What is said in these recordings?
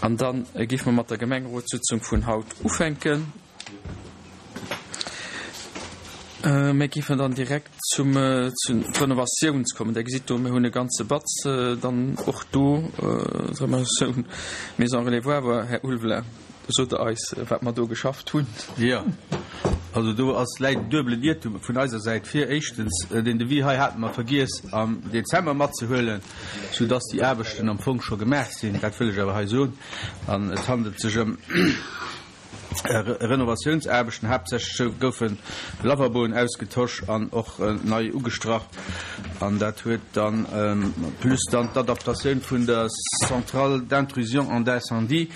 An da géife mer mat der Gemengerotssitzung vun haut ufänken. Mir géifen dann direkt zum zu d'Renovatiouns kommen. Der gesitt do, mir hunn e ganze Batz dann och do, d'Renovatioun Maison Relais Woawer. Här Ulveling, sot Der eis, wat mer do geschafft hunn? Jo, also do ass läit en duebelen Iertum vun eiser Säit vir. Éischtens, deen Devis hei hate mer vergiess am Dezember matzehuelen, soudass déi Aarbechten am Fong scho gemaach sinn. Dat wëll ech awer hei soen. An et handelt sech ëm Renovatiounsaarbechten. Haaptsächlech goufe Lavaboen ausgetosch an och nei ugestrach. An dat huet dann, plus dann d'Adaptatioun vun der Centrale d'intrusion en d'incendie,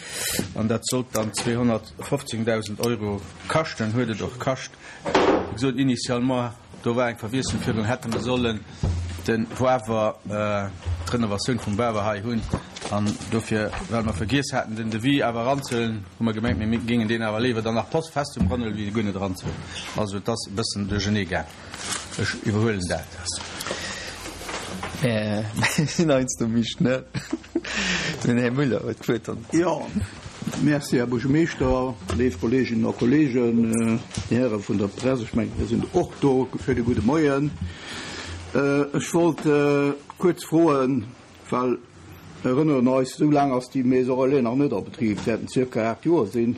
an dat sollt dann 215.000 Euro kaschten, huet et och kascht. Wéi gesot, initialement, Do war eng Verwiesslung virgoen, hätte mer sollen de Wawer, d'Renovatioun vum Wawer hei hunn. An dofir, well mer vergiess haten, den Devis awer eranzehuelen, hu mer gemengt, mir géingen deen awer léiwer dann nach post festum eranhuelen, wéi e guer net eranzehuelen. Also et ass e bëssen duerchernee gaang. Ech iwwerhuelen dat. Mir sinn heiansdo méi schnell. Den Här Müller huet d'Wuert dann. Jo, merci, Här Buergermeeschter, léif Kolleeginnen a Kolleegen, Dir Häre vun der Press, ech mengen, Dir sidd och do. Schéine gudde Moien. Ech wollt kuerz froen, well mir erënneren eis, esou laang ass déi Maison relais nach net a Betrib, et wäerten zirka 8 Joer sinn.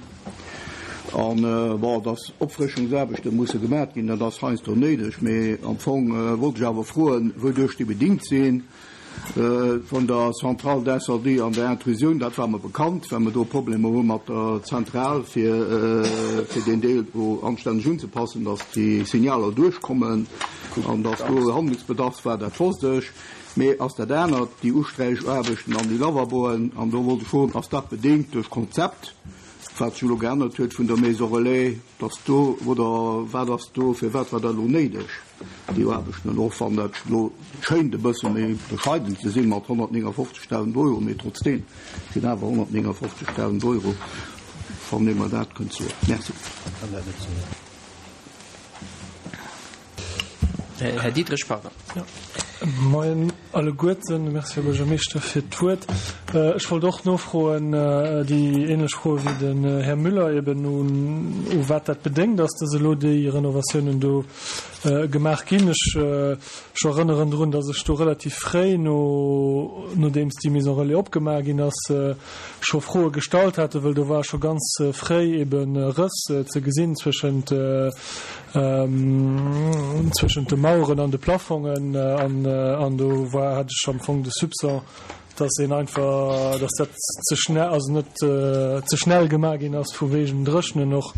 An, bon, dass Opfrëschungsaarbechte musse gemat ginn, dat ass heiansdo néideg, mee am Fong wollt ech awer froen, wouduerch déi bedingt sinn. Vun der Centrale d'incendie an der Intrusioun, dat war mer bekannt, well mer do Problemer hu mat der Zentral, fir fir deen Deel do anstänneg unzepassen, dass déi Signaler duerchkommen an dass do Handlungsbedarf war, dat wosst ech. Mee ass dat anert, déi Usträichaarbechten an déi Lavaboen, an do wollt ech froen, ass dat bedéngt duerch Konzept, wat sech elo geännert huet vun der Maison Relais, dass do, oder wat ass do, firwat war dat elo néideg? Déi Aarbechten, an och wann dat elo schéint e bësse méi bescheiden ze sinn mat 159.000 Euro, mee trotzdeem sinn awer 159.000 Euro, wann ee mer dat kënnt soen. Merci. Här Diderich, pardon. Moien alleguerten. Merci, Här Buergermeeschter, fir d'Wuert. Ech wollt och nofroen, déi ähnlech Froe wéi den Här Müller eben, u wat dat bedéngt ass, dass elo déi Renovatiounen do gemaach ginn. Ech erënneren drun, dass ech do relativ fréi, no nodeems déi Maison relais opgemaach ginn ass, scho Froe gestallt hate, wëll do war scho ganz fréi ebe Rëss ze gesinn zwëschent zwëschent de Maueren an de Plafongen an do war hat ech am Fong de Soupçon, dass een einfach, dass dat ze schnell, also net ze schnell gemaach ginn ass vu wegen Dréchnen och.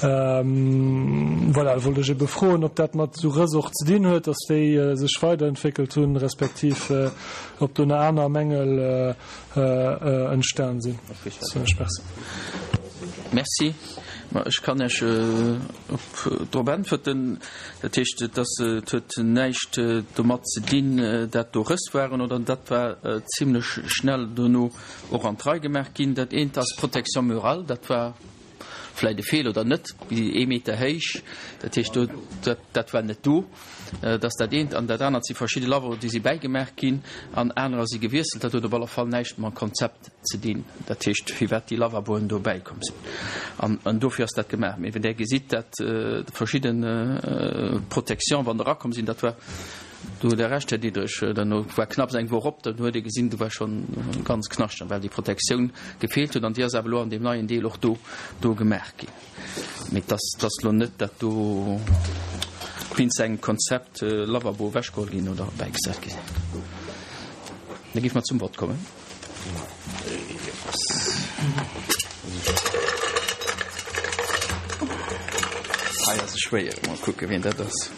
Voilà, wollt ech ebe froen, ob dat mat esou Rëss och ze dinn huet, dass déi sech weiderentwéckelt hunn, respektiv ob do nach aner Mängel entstan sinn. Merci. Merci. Ma ech kann Iech drop äntwerten. Dat heescht, et ass, et huet näischt domat ze dinn, dat do Rëss waren oder dat war zimlech schnell dono och an d'Rei gemaach ginn. Dat eent ass d'Protection murale, dat war vläicht e Feeler oder net, ee Meter héich, dat heescht do, dat, dat war net do. Dat ass dat eent. An dat anert si verschidde Lavabo, déi si bäigemaach ginn an anerer si gewiesselt. Dat huet op alle Fall näischt mam Konzept ze dinn, dat heescht firwat déi Lavaboen do bäikomm sinn. An, an dofir ass dat gemaach. Mee wenn Der gesitt, dat verschidde Protection, wann der erakomm sinn, dat war, do hutt Der Recht, Här Diderich, dann war knapps eng Woch op, dann huet ee gesinn, do war schonn ganz knaschteg, well déi Protektioun gefeelt huet. An déi ass awer elo an deem neien Deel och do, do gemaach ginn. Mee et ass, et ass elo net, dat do wéinst engem Konzept Lavabo ewechgeholl ginn oder bäigesat gi sinn. Da géife mer zum Vott kommen. Hei ass e schwéier. Mol kucke wien dat ass.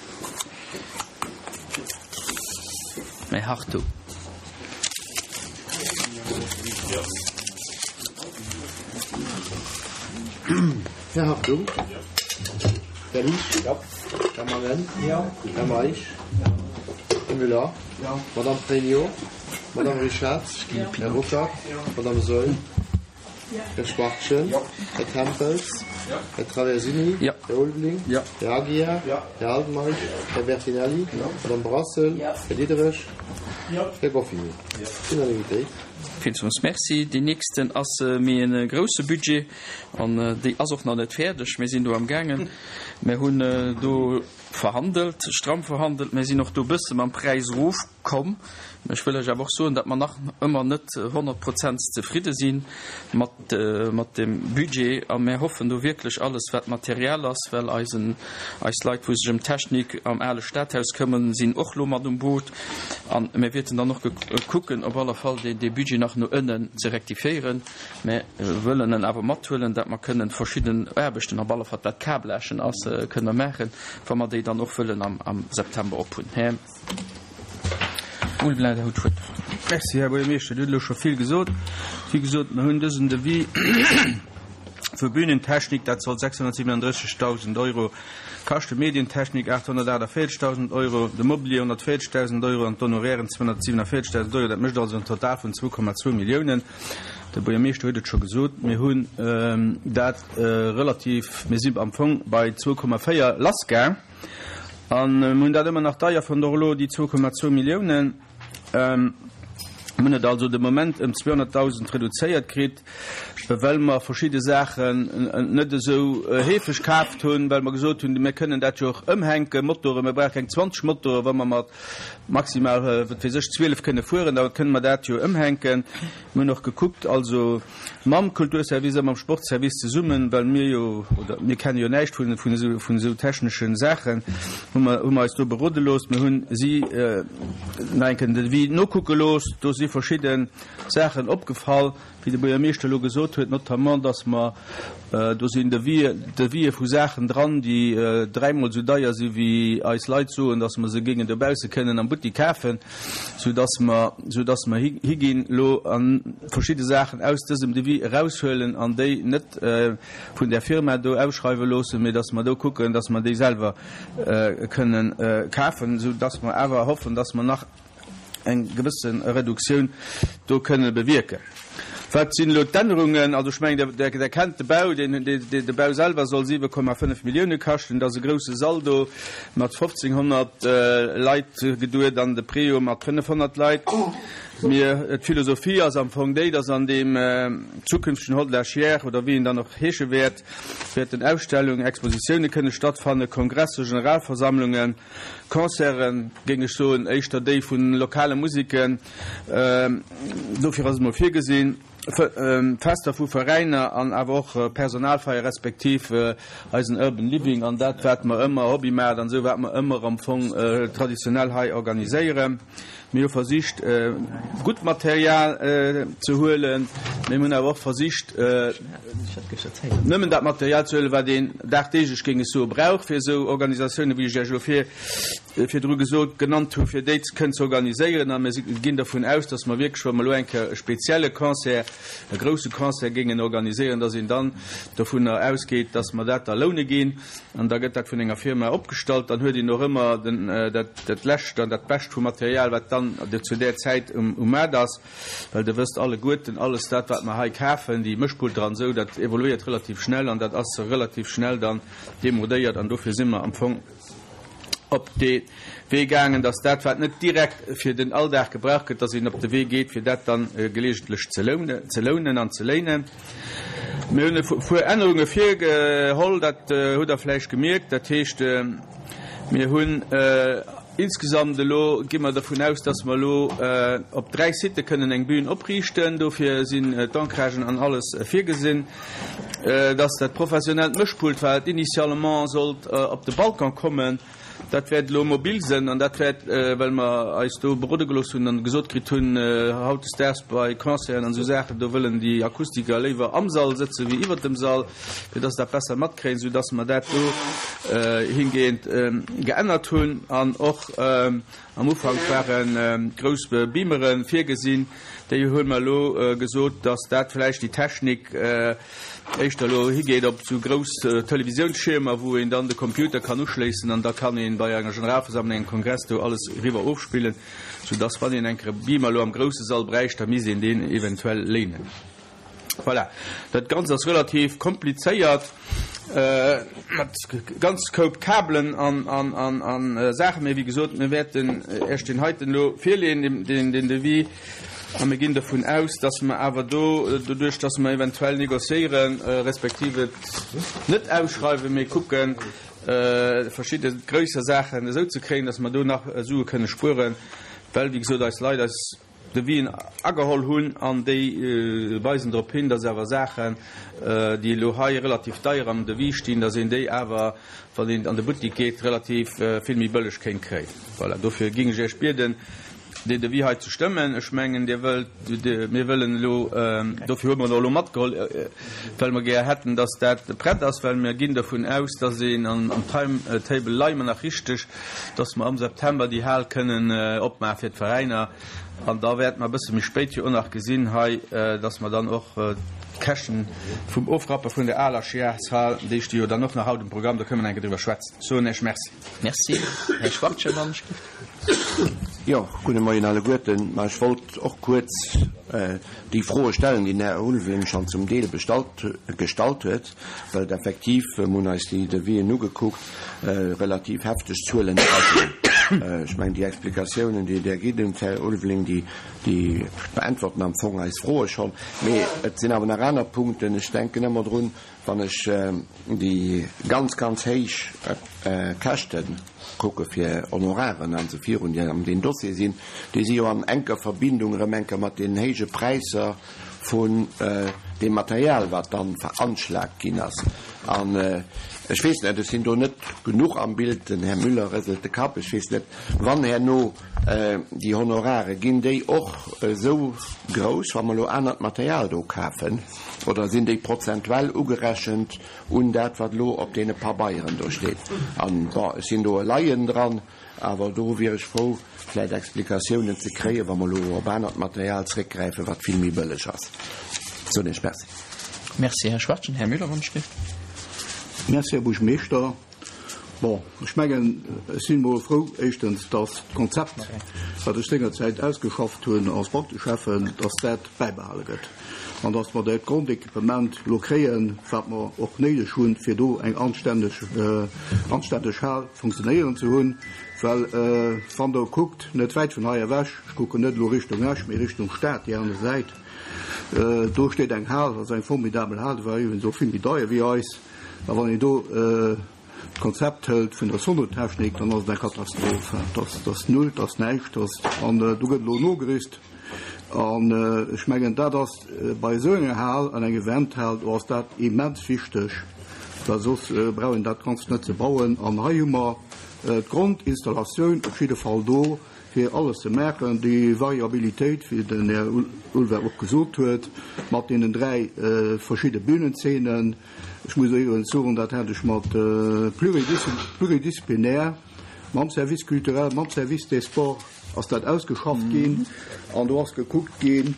Mä Hartung. Här Hartung. Här Liesch. Här Mangen. Här Meisch. Här Müller. Madame Pregno. Madame Richard. Här Ruckert. Madame Saeul. Här Schwachtgen. Här Tempels. Här Traversini. Här Ulveling. Här Aguiar. Här Altmeisch. Här Bertinelli. Madame Brassel. Här Diderich. Här Goffini. Unanimitéit. Villmools Merci. Deen nächsten ass méi e grousse Budget an déi ass och nach net fäerdeg. Mir sinn do am gaangen. Mir hunn do verhandelt, stramm verhandelt. Mir sinn och do e bësse mam Präis erofkomm. Ech wëll lech awer och soen, datt mer nach ëmmer net 100 Prozent zefridde si mat, mat dem Budget a mir hoffen do wierklech alles, wat Material ass, well eisen, eis Leit, wou sech ëm d'Technik am ale Stadhaus këmmen, sinn och lo mat um Boot a mir wäerten dann och kucken, op alle Fall dee, dee Budget nach no ënnen ze rektifiéieren. Mir wëllen en awer mathuelen, datt mer kënnen verschidden Aarbechten, op alle Fall wat Kabelagen ass, kënnen mer maachen, wa mer déi dann och wëllen am, am September ophunn. Här Ulveling, Der hutt d'Wuert. Merci, Här Buergermeeschter. Dir hutt elo scho vill gesot. Wéi gesot, mer hunn dësen Devis vu Bühnentechnik, dat soll 637.000 Euro kaschten, Medientechnik 848.000 Euro, de Mobilier 140.000 Euro an d'Honorairen 247.000 Euro. Dat mécht also en Total vun 2,2 Milliounen. De Buergermeeschter huet et scho gesot, mir hunn dat relativ, mir si am Fong bei 2,4 lassgaang a mir hunn dat ëmmer nach deier fonnt, och elo déi 2,2 Milliounen. Mir hunn et also de Moment ëm 200.000 reduzéiert kritt, well mer verschidde Saachen net esou heefeg kaaft hunn, well mer gesot hunn, mir kënnen dat jo och ëmhänken, Motoren, mir brauche keng 20 Motoren, wa mer mat maximal, wat weess ech, 12 kënne fueren, da kënne mer dat jo ëmhänken. Mir hunn och gekuckt, also mam Kulturservice a mam Sportservice zesummen, well mir jo, oder mir kenne jo näischt vun, vun esou, vun esou technesche Saachen, hu mer, hu mer eis do berode looss. Mir hunn si nach eng Kéier den Devis nokucke looss. Do si verschidde Saachen opgefall. Wéi de Buergermeeschter elo gesot huet, notamment, dass mer, do sinn Devisë vu Saachen dran, déi dräimol esou deier si wéi eis Leit soen, dass mer se géingen dobausse kënnen am Buttik kafen, soudass mer, soudass mer higinn elo a verschidde Saachen aus dësem Devis eraushuelen an déi net vun där Firma do ausschreiwe loossen, mee dass mer do kucken, dass mer déi selwer kënnen kafen, soudass mer awer hoffen, dass mer nach eng gewësse Reduktioun do kënne bewierken. Wat sinn elo d'Ännerungen? Also ech mengen, Der kennt de Bau, de Bau selwer soll 7,5 Millioune kaschten. Et ass e grouse Sall do mat 1.500 Leit geduet an de Préau mat 500 Leit. Mir, d'Philosophie ass am Fong déi, dass an deem zukünftegen Hall de la Chiers, oder wéi en dann och heesche wäert, wäerten Ausstellungen, Expositioune kënne stattfannen, Kongresse, Generalversammlungen, Concerten, géing ech soen, éischter déi vu lokale Musiken, dofir ass et mol virgesinn, Fester vu Veräiner an awer och Personalfeier respektiv eisen Urban Living an dat wat mer ëmmer, Hobbymaart an esou, wat mer ëmmer am Fong traditionell hei organiséieren. Mir hu versicht gutt Material ze huelen, mee mir hunn awer och versicht nëmmen dat Material ze huelen, wat een dagdeeglech, géing ech soen, brauch fir esou Organisatiounen, wéi ech Iech elo vir virdru gesot, genannt hu, fir déi kënnen ze organiséieren. A mir ginn dervun aus, datt mer wierklech, wa mer elo eng Kéier e spezielle Concert, e grousse Concert géingen organiséieren, datt een dann dovunner ausgeet, datt mer dat da loune ginn. An da gëtt dat vun enger Firma opgestallt. Dann huet een och ëmmer den, dat, dat Lescht an dat Bescht vu Material, wat dann zu där Zäit um, um Maart ass. Well Der wësst alleguerten, alles dat, wat mer hei kafen, déi Mëschpulter an esou, dat evoluéiert relativ schnell an dat ass relativ schnell dann demodéiert. An dofir si mer am Fong op dee Wee gaangen, dass dat, wat net direkt fir den Alldag gebraucht gëtt, dass een op de Wee geet, fir dat dann gelegentlech ze lounen an ze léinen. Mir hunn e puer Ännerunge virgeholl, dat hutt Der vläicht gemierkt. Dat heescht, mir hunn insgesamt elo, gi mer dervun aus, dass mer elo op dräi Sitë kënnen eng Bühn opriichten. Dofir sinn d'Ancragen an alles virgesinn. Dass dat professionellt Mëschpult, wat initialement sollt op de Balcon kommen, Dat wäert elo mobil sënn an dat wäert, well mer eis do berode gelooss hunn an gesot kritt hunn, hautdesdaags bei Concerten an esou Saachen, do wëllen déi Akustiker léiwer am Sall sëtze wéi iwwert dem Sall, fir dass se dat besser matkréien, soudass mer dat do hingehend geännert hunn. An och am Ufank ware grouss Beamere virgesinn, déi hu mer elo gesot, dass dat vläicht déi Technik, éischter elo higeet op esou grouss Televisiounsschiermer, wou een dann de Computer kann uschléissen an da kann een bei enger Generalversammlung, engem Kongress do alles eriwwer ofspillen, soudass wann een eng Kéier e Beamer elo am grousse Sall bräicht, da misst een deen eventuell léinen. Voilà, dat Ganzt ass relativ komplizéiert mat ganz Koup Kabelen an Saachen, mee wéi gesot, mir wäerten Iech deen heiten elo virleeën, deen Devis. A mir ginn dovun aus, dass mer awer do, doduerch dass mer eventuell négociéieren, respektiv et net ausschreiwen, mee kucken, verschidde gréisser Saachen esou ze kréien, dass mer do nach Sue kënne spueren, well, wéi gesot, eis Leit eis Devisen ageholl hunn an déi weisen drop hin, dass awer Saachen, déi elo hei relativ deier am Devis stinn, dass een déi awer, wann een an de Buttik geet, relativ vill méi bëlleg kéint kréien. Voilà, dofir géing ech Iech bieden, deen Devis hei ze stëmmen. Ech mengen, Dir wëllt, mir wëllen elo, dofir hu mer en och elo matgeholl, well mer gär hätten, dass dat prett ass, well mir ginn dovun aus, dass een am Timetable leie mer nach richteg, dass mer am September déi Hal kënnen opmaache fir d'Veräiner. An da wäerte mer e bësse méi spéit jo och nach gesinn hei, dass mer dann och d'Käschten vum Ofrappe vun der aler Schiärshal, déi sti jo dann och nach haut um Programm, do kënnen mer nach eng Kéier driwwer schwätzen. Soen Iech Merci. Merci. Här Schwachtgen, wann ech giff. Jo, gudde Moien alleguerten. Ma ech wollt och kuerz déi Froe stellen, déi den Här Ulveling schonn zum Deel bestallt, gestallt huet, well et effektiv, mir hunn eis déi Devisen ugekuckt, relativ hefteg Zuelen dra sinn. Ech mengen, déi Explikatiounen, déi Der gitt hutt, Här Ulveling, déi, déi beäntwerten am Fong eis Froe schonn. Mee et sinn awer nach aner Punkten. Ech denken ëmmer drun, Wann ech déi ganz, ganz héich Käschte kucke fir Honoraren an esou virun, déi an deem Dossier sinn, déi si jo an enker Verbindung erëm eng Kéier mat deenen héije Präisser vun deem Material, wat dann veranschlagt ginn ass. An ech weess net, ech sinn do net genuch am Bild, den Här Müller rëselt de Kapp, ech weess net, wann herno déi Honorare, ginn déi och esou grouss, wa mer elo anert Material do kafen? Oder sinn déi prozentuell ugerechent un dat, wat elo op deene Pabeieren do steet? An, bon, ech sinn do e Laien dran, awer do wier ech frou, vläicht Explikatiounen ze kréien, wa mer elo op anert Material zréckgräifen, wat vill méi bëlleg ass. Soen Iech Merci. Merci, Här Schwachtgen. Här Müller, wann ech dierft. Merci, Här Buergermeeschter. Bon, ech mengen, ech sinn emol frou, éischtens, dass d'Konzept, wat ech sengerzäit ausgeschafft hunn als Bankteschäffen, dass dat bäibehale gëtt an dass mer dat Grondequipement elo kréien, wat mer och néideg hunn, fir do eng anstänneg, anstänneg Hal funktionéieren ze hunn. Well wann Der kuckt, net wäit vun hei ewech, ech kucken net elo Richtung Esch, mee Richtung Stad, déi aner Säit, do steet eng Hal, dat ass eng formidabel Hal, déi war iwwregens och vill méi deier wéi eis. A wann een do d'Konzept hëlt vun der Sonotechnik, dann ass et eng Katastroph. Dat ass null, dat ass näischt. An do gëtt elo nogerüst. An ech mengen, dat ass bei esou enger Hal, an eng Eventhal, do ass dat immens wichteg, well soss brauch een dat Ganzt net ze bauen. An hei hu mer d'Grondinstallatioun op jidde Fall do. fir alles ze maachen, déi Variabilitéit, wéi den Här Ulver och gesot huet, mat deenen 3 verschidde Bühnenzeenen. Ech muss iwwregens soen, dat hat ech mat pluridisziplinär, mam Service culturel, mam Service des sports ass dat ausgeschafft ginn an do ass gekuckt ginn,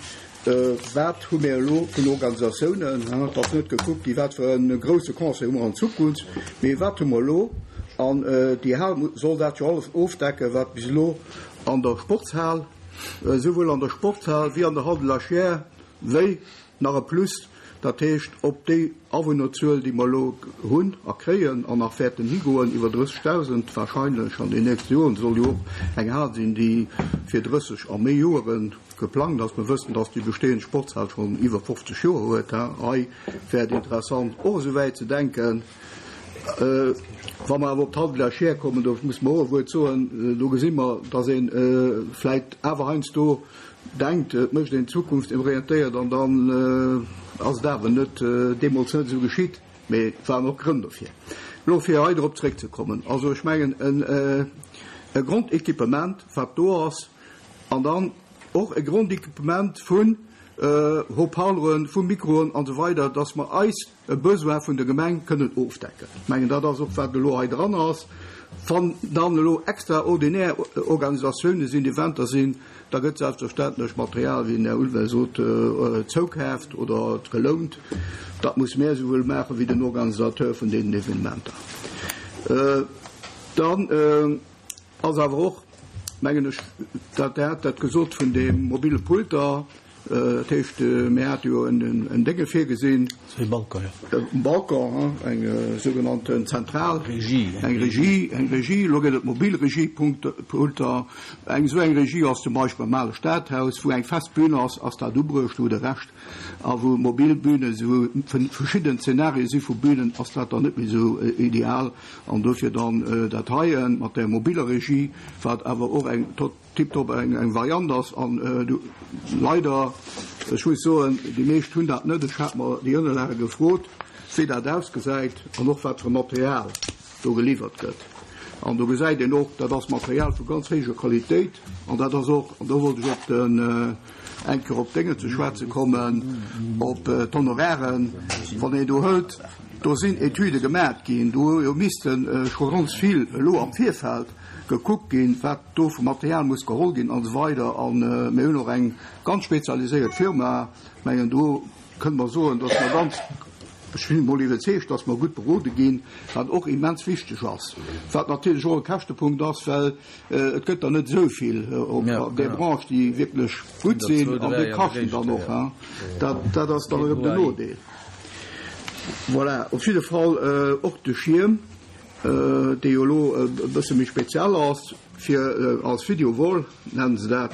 Wat hu mir elo vun Organisatiounen? Et ass net gekuckt gi wat fir e grousse Concert hu mer an Zukunft, mee wat hu mer elo? An déi Hal soll dat jo alles ofdecken, wat bis elo an der Sportshal, esouwuel an der Sportshal wéi an der Hall de la Chiers, wéi nach e Plus, dat heescht op déi Awunnerzuel, déi mer elo hunn a kréien an nach wäerten higoen, iwwer 30.000 wahrscheinlech an den nächste Joren, soll jo och eng Hal sinn, déi fir 30 a méi Joere Geplangt ass. Mer wëssen, dass déi bestehend Sportshal schonn iwwer 50 Joer huet. Hei wär et interessant, och esou wäit ze denken. Wa mer awer op d'Halle de la Chiers kommen, do muss mer och e Wuert soen, do gesi mer, dass ee vläicht awer heiansdo denkt, et mécht een zukunftsorientéiert an dann ass et awer net, deemools net esou geschitt. Mee et waren och Grënn dofir. Elo fir hei drop zréckzekommen, also ech mengen e Grondéquipement, wat do ass, An dann och e Grondéquipement vun Haut-parleuren, vu Mikroen an esou weider, dass mer eis e Besoin vun der Gemeng kënnen ofdecken. Ech mengen, dat ass och, wat elo hei dran ass. Wann dann elo extraordinär Organisatiounen sinn, Eventer sinn, da gëtt selbstverständlech Material, wéi den Här Ulveling sot, zoukaaft oder gelount. Dat muss mär esouwuel maache wéi den Organisateur vun deenen Evenementer. Dann. Ass awer och, mengen ech, dat Der hat dat gesot vun de mobile Pulter. Dat heescht, mir hate jo en Dénge virgesinn. E Balcon, jo. E Balcon, eng sougenannten zentral. Regie. Eng Regie, eng Regie. Elo gëtt et mobil Regiepulter. Eng esou eng Regie ass zum Beispill am ale Stadhaus, wou eng fest Bühn ass, ass dat ubruecht, wou de Rescht a wou mobil Bühne si, wou verschidden Zenarie si vu Bühnen, ass dat dann net méi esou ideal. An dofir dann dat heien mat där mobiller Regie, wat awer och eng tot. Tiptop eng Variant ass an leider, ech muss soen, déi meescht hunn dat net. Ech hat mer déi Ënnerlage gefrot, wéi dat ausgesäit an och wat fir e Material do geliwwert gëtt. An do gesäit een och, dat ass Material vu ganz héijer Qualitéit an dat ass och, an do wollt ech op den, eng Kéier op d'Dénge ze schwätze kommen, op d'Honorairen, wann een do hëlt, do sinn Etüde gemat ginn, do hu jo misste scho ganz vill elo am Virfeld gekuckt ginn, wat do vu Material muss geholl ginn an esou weider. A mir hunn och eng ganz spezialiséiert Firma, mengen do kënne mer soen, datt mer ganz, ech sinn emol iwwerzeegt, datt mer gutt berode ginn, wat och immens wichteg ass, wat natierlech och e Käschtepunkt ass, well et gëtt der net esou vill op där Branche, déi wierklech gutt sinn an déi kaschten dann och. Dat, dat ass dann erëm den Nodeel. Voilà, op jidde Fall och de Schierm. dee jo elo e bësse méi speziell ass, fir als Video-Wall nennen se dat,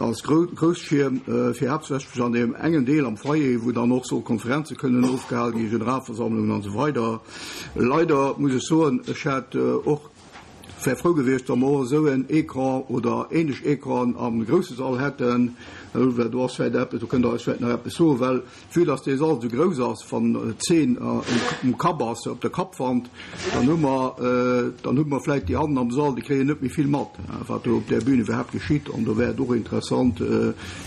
als Grousschierm, fir haaptsächlech an deem engen Deel am Foyer, wou dann och soll Konferenze kënnen ofgehale ginn, Generalversammlungen an esou weider. Leider muss ech soen, ech hätt och, wär frou gewiescht, wa mer och esou en Ecran oder ähnlech Ecranen am grousse Sall hätten, well do ass vläicht eppes, do kënnt Der eis vläicht nach eppes soen, well Vue dass dee Sall esou grouss ass, wann d'Zeen um Kapp ass, op der Kappwand, dann hu mer, dann hu mer vläit déi hannen am Sall, déi kréien net méi vill mat, wat do op där Bühn iwwerhaapt geschitt. An do wär et och interessant,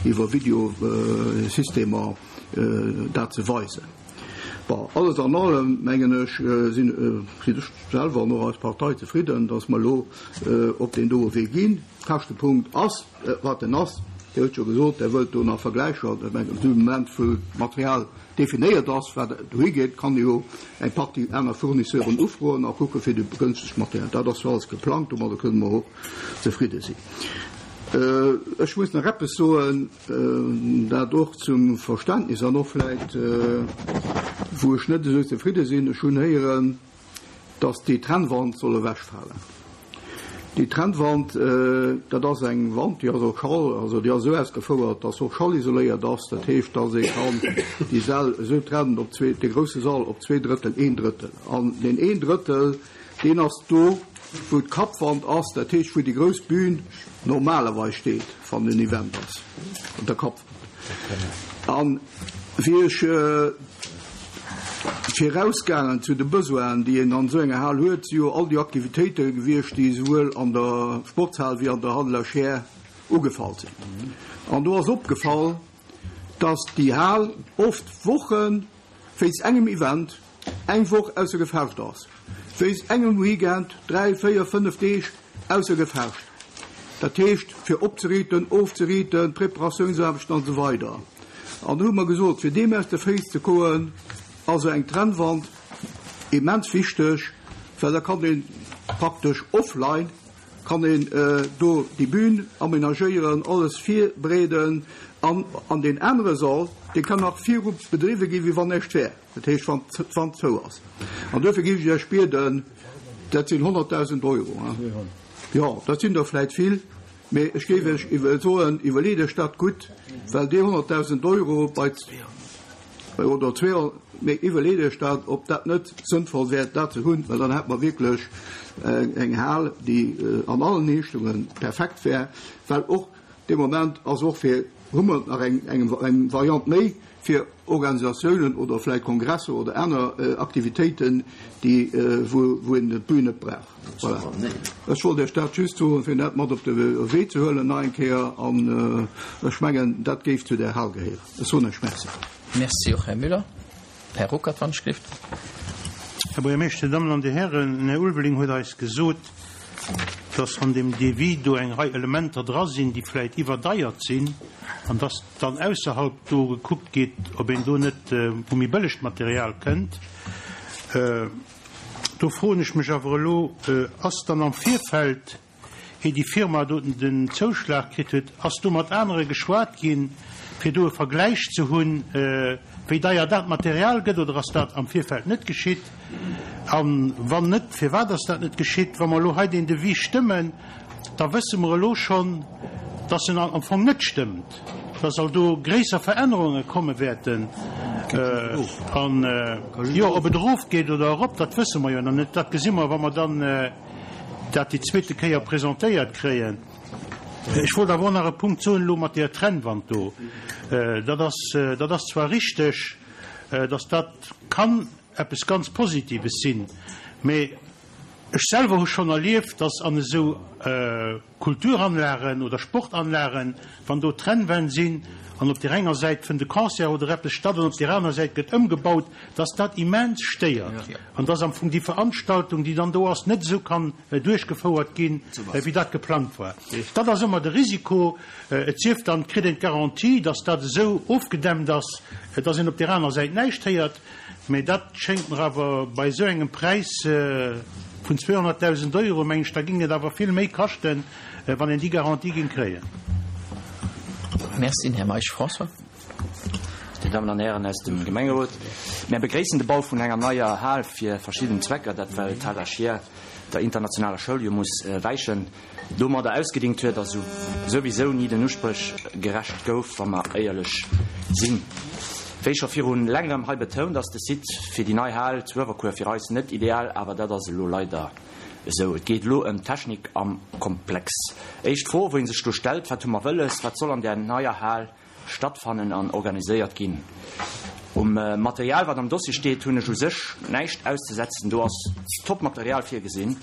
iwwer Videosystemer dat ze weisen. Bon, alles an allem, mengen ech, sinn ech selwer an och eis Partei zefridden, dass mer elo op deen doe Wee ginn. Käschtepunkt ass, wat en ass. Dir hutt jo gesot, Der wëllt do nach Vergläicher. Ech mengen, dee Moment, wou d'Material definéiert ass, wat dohi geet, kann ee jo eng Partie aner Fournisseuren ufroen a kucke fir de gënschtegt Material. Dat ass jo alles geplangt, domadder kënne mer och zefridde sinn. Ech muss nach eppes soen, dat och zum Verständnis an och vläicht, wou ech net esou zefridde sinn. Ech hunn héieren, dass déi Trennwand soll ewechfalen. Déi Trennwand, dat ass eng Wand, déi ass och schall, also déi ass esou ausgefouert, dass se och schallisoléiert ass. Dat heescht, dass ee kann déi Säll esou trennen, op zwee, dee grousse Sall op zwee Drëttel, een Drëttel. An deen een Drëttel, deen ass do, wou d'Kappwand ass, dat heescht, wou déi grouss Bühn normalerweis steet, wann en Event ass, op der Kappwand. An wéi ech virausgaangen zu de Besoinen, déi een an esou enger Hal huet, si jo all déi Aktivitéite gewiescht, déi esouwuel an der Sportshal wéi an der Halle La Chaire ugefall sinn. An do ass opgefall, dass déi Hal oft Woche wéinst engem Event eng Woch ausser Gefecht ass, wéinst engem Weekend 3, 4, 5 Deeg ausser Gefecht. Dat heescht, fir opzeriiten, ofzeriiten, Preparatiounsaarbechten an esou weider. An do hu mer gesot, fir deem aus de Féiss ze koen, ass esou eng Trennwand immens wichteg, well da kann ee praktesch offline kann een do déi Bühn aménagéieren, alles virbereeden an an deen anere Sall, dee kann nach viru bedriwwe ginn, wéi wann näischt wär. Dat heescht, wann d'Wand zou ass. An duerfir géif ech Iech bieden, dat sinn 100.000 Euro, jo, dat sinn der vläicht vill, mee ech géif Iech soen, iwwerleet Iech dat gutt, well déi 100.000 Euro bei, oder 200, mee iwwerleet Iech dat, ob dat net sënnvoll wär, dat ze hunn, well dann hätte mer wierklech eng Hal, déi an allen Richtungen perfekt wär, well och dee Moment ass och fir, hu mer nach eng, eng Variant méi, fir Organisatiounen oder vläicht Kongresser oder aner Aktivitéiten, déi, wou een d'Bün net brauch. Voilà. Ech wollt Iech dat just soen, fir dat mat op de Wee ze huelen nach eng Kéier. An ech mengen, dat géif zu där Hal gehéieren. Ech soen Iech Merci. Merci och, Här Müller. Här Ruckert, wann ech gelift. Här Buergermeeschter, Dir Dammen an Dir Hären, den Här Ulveling huet eis gesot, dass an deem Devis do eng Rei Elementer dra sinn, déi vläicht iwwerdeiert sinn, an dass dann ausserhalb do gekuckt gétt, ob een do net u méi bëllegt Material kënnt. Do froen ech mech awer elo, Ass dann am Virfeld, ier déi Firma do den Zouschlag kritt huet, ass do mat anere geschwat ginn? fir do e Vergläich ze hunn, wéi deier dat Material gëtt, oder ass dat am Virfeld net geschitt? A wann net, firwat ass dat net geschitt? Wa mer elo hei deen Devis stëmmen, da wësse mer elo schonn, dass en am Fong net stëmmt, dass all do gréisser Verännerunge komme wäerten. An, jo, ob et erofgeet oder erop, dat wësse mer jo nach net. Dat gesi mer, wa mer dann dat déi zweete Kéier presentéiert kréien. Ech wollt awer och nach e Punkt soen elo mat där Trennwand do. Dat ass, dat ass zwar richteg, dass dat kann eppes ganz Positives sinn, mä ech selwer hu schonn erlieft, dass an esou Kulturanlagen oder Sportanlagen, wann do Trennwänn sinn an op där enger Säit fënnt e Concert oder eppes statt an op där aner Säit gëtt ëmgebaut, dass dat immens stéiert an dass am Fong déi Veranstaltung, déi dann do ass, net esou kann duerchgefouert ginn, wéi dat geplangt war. Dat ass ëmmer de Risiko. Et sief dann, et kritt een d'Garantie, dass dat esou ofgedämmt ass, dass een op där aner Säit näischt héiert. Mä dat schéngt mer awer bei esou engem Präis vun 200.000 Euro, meng ech, da géing et awer vill méi kaschten, wann een déi Garantie géing kréien. Merci. Här Meisch François. Dir Dammen an Hären aus dem Gemengerot, mär begréissen de Bau vun enger neier Hal fir verschidden Zwecker, dat well d'Hal Achier der internationaler Schoul jo muss wäichen. domadder ausgedingt huet a souwisou ni den Uspréch gerecht gouf, wa mer éierlech sinn. Wéi scho viru längerem hei betount, ass de Site fir déi nei Hal zu Uewerkuer fir eis net ideal, awer dat ass elo leider esou. Et geet elo ëm d'Technik am Komplex. Éischt Fro, wou ee sech do stellt, Wat hu mer wëlles? Wat soll an där neier Hal Stattfannen an organiséiert ginn. Um Material, wat am Dossier steet, hunn ech u sech näischt auszesetzen. Do ass top Material virgesinn.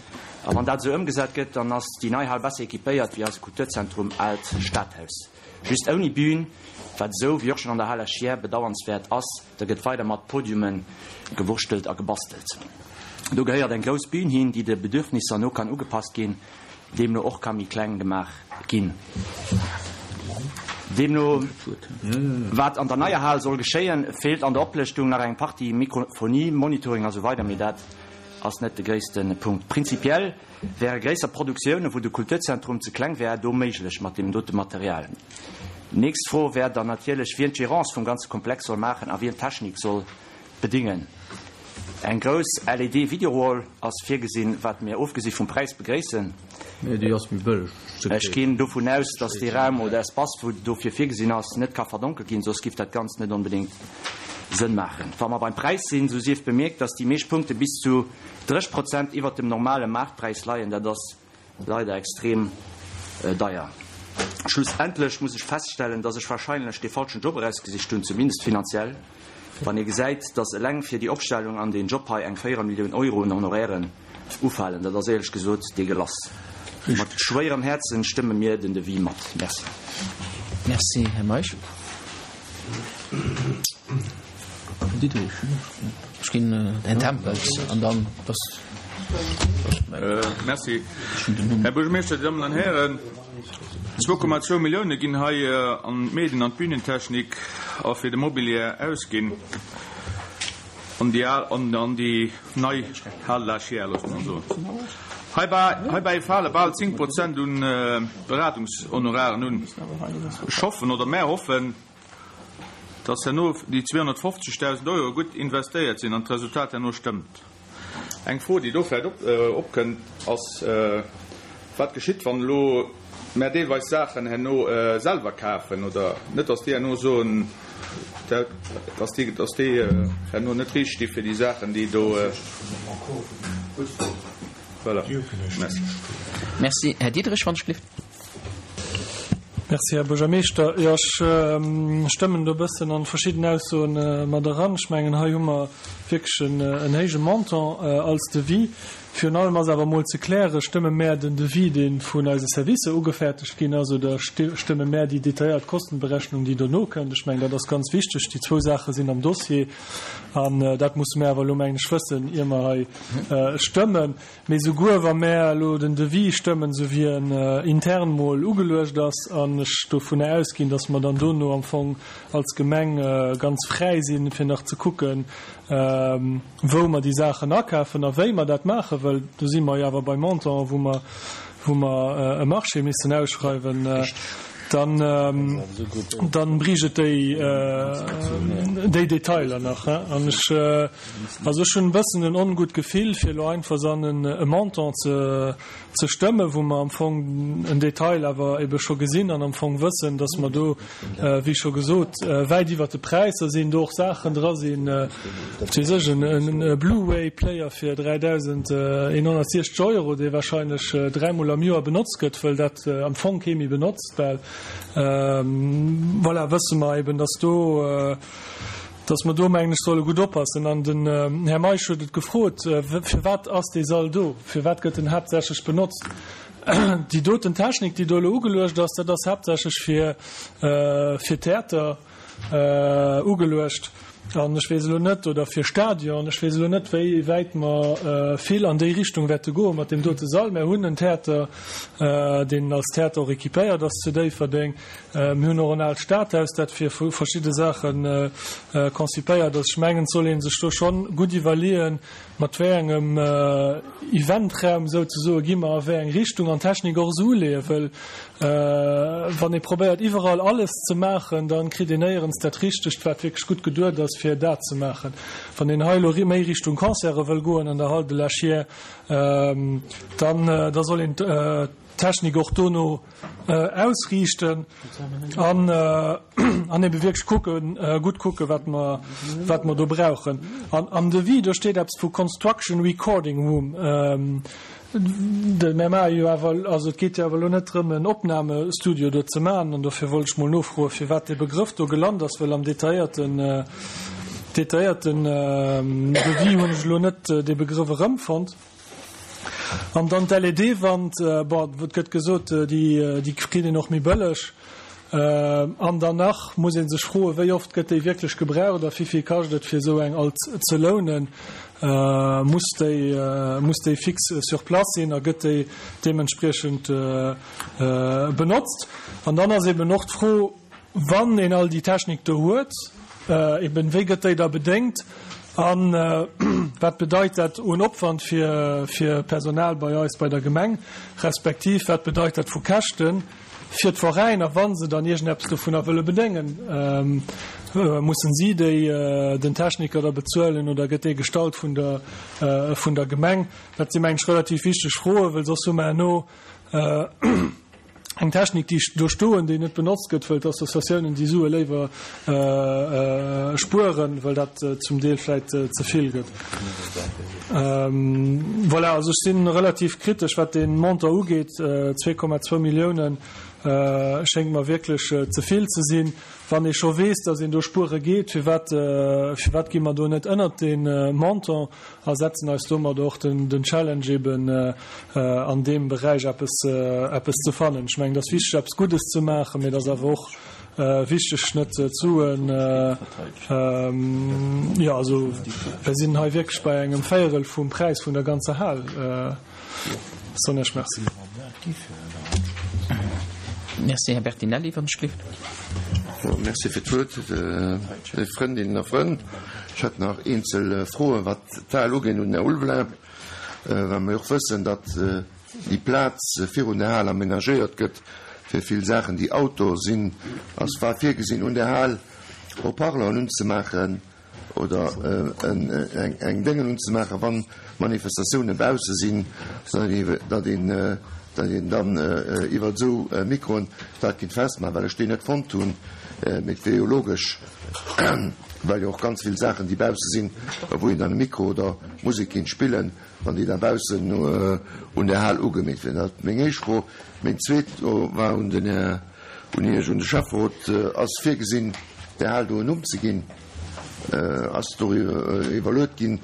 A wann dat esou ëmgesat gëtt, dann ass déi nei Hal besser équipéiert wéi eise Kulturzentrum Aalt Stadhaus. Just ouni Bühn, wat esou wéi och schonn an der Hal Esch-Hier bedauernswäert ass. Da gëtt weider mat Podiume gewurschtelt a gebastelt. Do gehéiert eng grouss Bühn hin, déi de Bedürfnisser no kann ugepasst ginn. Deemno och ka méi kleng gemaach ginn. Deemno wat an der neier Hal soll geschéien, feelt an der Oplëschtung nach eng Partie, Mikrofonie, Monitoring a sou weider, mee dat ass net de gréisste Punkt. Prinzipiell wäre gréisser Produktioune wou de Kulturzentrum ze kleng wär do méiglech mat deem dote Material. Nächst Fro wär dann natierlech wien d'Gérance vum ganze Komplex soll maachen a wien d'Technik soll Bedingen. Eng grouss LED Videowall ass virgesinn, wat mir ofgesi vum Präis begréissen. Nee, déi ass méi bëlleg ze Ech kréien. ginn dovun aus, dass dee Raum oder Espace, wou dofir virgesinn ass, net ka verdonkelt ginn, soss giff dat Ganzt net onbedéngt Sënn maachen. Wa mer beim Präis sinn, sou sief bemierkt, dass déi meescht Punkte bis zu 30 Prozent iwwert dem normale Maartpräis leien. Dat ass Leider extrem deier. Schlussendlech muss ech feststellen, dass ech wahrscheinlech dee falschen Job erausgesicht hunn, zumindest finanziell, wann ee gesäit, dass eleng fir déi Opstellung an deen Job hei eng Véierelmillioun Euro un Honorairen ufalen. Dat ass éierlech gesot deegelass. Mat schwéierem Häerzen stëmme mir den Devis mat. Merci. Merci, Här Meisch. Här Diderich, ech ginn den Här Tempels an dann ass. Merci, Här Buergermeeschter, Dir Dammen an Hären. 2,2 Millioune ginn hei an d'Medien an d'Bühnentechnik a fir de Mobilier ausginn an déi al an déi nei Hal de la Chiers, loosse mer soen. Heibäi fale bal 10 Prozent un Beratungshonoraren un. Ech hoffen, oder mär hoffen, dass herno déi 250.000 Euro gutt investéiert sinn an d'Resultat herno stëmmt. Eng Fro, déi do vläicht opkënnt, ass, Wat geschitt, wann elo mär deelweis Saachen herno selwer kafen oder net, dass déi herno soen, dass déi, dass déi herno net riicht sti fir déi Saachen, déi do. Voilà. Merci. Merci. Här Diderich, wann ech gelift. Merci, Här Buergermeeschter. Jo, ech stëmmen do e bëssen an verschidden Aussoen mat eran. Ech mengen, hei hu mer wierklech en héije Montant als Devis. Virun allem ass awer emol ze klären, Stëmme mär den Devis, dee vun eise Servicer ugefäertegt ginn ass, oder stëmme mär déi detailléiert Kostenberechnung, déi dono kënnt? Ech mengen, dat ass ganz wichteg. Déi zwou Saache sinn am Dossier an dat musse mär awer elo, mengen ech, wëssen, ier mer hei stëmmen. Mee souguer wa mär elo den Devis stëmmen, esou wéi en intern mol ugeluecht ass, an ech dovunner ausginn, datt mer dann dono am Fong als Gemeng ganz fräi sinn, fir nach ze kucken, wou mer déi Saachen akafen a wéi mer dat maachen, well do si mer jo awer bei Montanten, wou mer, wou mer e Marché missten ausschreiwen. Dann, dann bréicht et déi, déi Detailer nach. An ech, also ech hunn e bëssen en ongutt Gefill, fir elo einfach san e Montant ze, ze stëmmen, wou mer am Fong en Detail awer ebe scho gesinn an am Fong wëssen, dass mer do, wéi scho gesot, wäit iwwert de Präisser sinn, do och Saachen dra sinn, wat weess ech, en Blu-ray-Player fir 3.160 Euro, dee wahrscheinlech dräimol am Joer benotzt gëtt, wëll dat am Fong kee méi benotzt, well, voilà, wësse mer eben, dass do, dass mer do, mengen ech, solle gutt oppassen. An den Här Meisch huet et gefrot, Firwat ass dee Sall do? Firwat gëtt en haaptsächlech benotzt? Déi doten Technik, déi do elo ugeluecht ass, dat ass haaptsächlech fir, fir Theater ugeluecht. An ech weess elo net, oder fir Stadion, ech weess elo net, wéi wäit mer vill an déi Richtung wäerte goe mat deem dote Sall. Mer hunn en Theater, deen als Theater och équipéiert ass zu Déifferdeng. Mir hunn och en aalt Stadhaus, dat fir verschidde Saache konzipéiert ass. Ech mengen, et soll ee sech do schonn gutt iwwerleeën, mat wéi engem Eventraum souzesoe gi mer a wéi eng Richtung an d'Technik och esou uleeën, wëll wann ee probéiert iwwerall alles ze maachen, da kritt een néierens dat Richtegt, wat wierklech gutt geduet ass, fir dat ze maachen. Wann een hei elo méi Richtung Concerte wëll goen an der Hall de la Chiers, dann da soll een d'Technik och dono ausriichten an an ebe wierklech kucken, gutt kucken, wat mer, wat mer do brauchen. An am Devis, do steet eppes vu Construction Recording Room. De, mir maache jo awer, also et geet jo awer elo net drëm, en Opnamestudio do ze maachen. An dofir wollt ech mol nofroen, firwat dee Begrëff do gelant ass, well am detailléierten, detailléierten Devis hunn ech elo net dee Begrëff erëmfonnt. An dann d'LED-Wand, bon, et gëtt gesot, déi kritt een och méi bëlleg. An dann nach muss ee sech froen, wéi oft gëtt déi wierklech gebraucht a wéivill kascht et, fir esou eng alt ze lounen? Muss déi, muss déi fix sur place sinn a gëtt déi deementspriechend benotzt? An dann ass eben och d'Fro, Wann een all déi Technik do huet, eben, wéi gëtt déi da bedéngt a wat bedeit dat un Opwand fir fir Personal bei eis bei der Gemeng, respektiv wat bedeit dat vu Käschte fir d'Veräiner, wa se dann iergendeppes dovunner wëlle bedéngen? Mussen si déi den Techniker da bezuelen oder gëtt dee gestallt vun der vun der Gemeng? Dat si mengen ech relativ wichteg Froen, well soss hu mer herno eng Technik, déi do stoen, déi net benotzt gëtt, wëll d'Associatiounen déi Sue léiwer spueren, well dat zum Deel vläit ze vill gëtt. Voilà, also ech si relativ kritesch, wat dee Montant ugeet. 2,2 Milliounen schéngt mer wierklech ze vill ze sinn. Wann ee scho weess, datt een do spuere geet, firwat, firwat gi mer do net ënnert dee Montant? A setzen eis domat och den Challenge eben an deem Beräich eppes eppes ze fannen. Ech mengen, et ass wichteg eppes Guddes ze maachen, mee et ass awer och wichteg net d'Suen, jo also mir sinn hei wierklech bei engem Véierel vum Präis vun der ganzer Hal. Soen ech Merci. Merci, Här Bertinelli, wann ech gelift. Merci fir d'Wuert, léif Frëndinnen a Frënn. Ech hätt nach eenzel Froen, wat d'Hal ugeet, un den Här Ulveling, well mer jo och wëssen, datt déi Plaz virun der Hal amenagéiert gëtt fir vill Saachen, déi outdoor sinn. Ass war virgesinn, un der Hal Haut-parleuren unzemaachen? oder eng Déngen unzemaachen, wann Manifestatioune bausse sinn, datt een dann iwwer esou Mikroen dat kinnt festmaachen, well ech déi net fonnt hunn. Mee et wier jo logesch, well jo och ganz vill Saachen, déi bausse sinn, wou een dann e Mikro oder Musek kinnt spillen, wann déi da baussen un der Hal ugemeet wieren. Dat meng éischt Fro. Meng zweet war un den Här. Un Iech, un de Schäfferot, Ass virgesinn, där Hal do en Numm ze ginn? Ass doriwwer iwwerluet ginn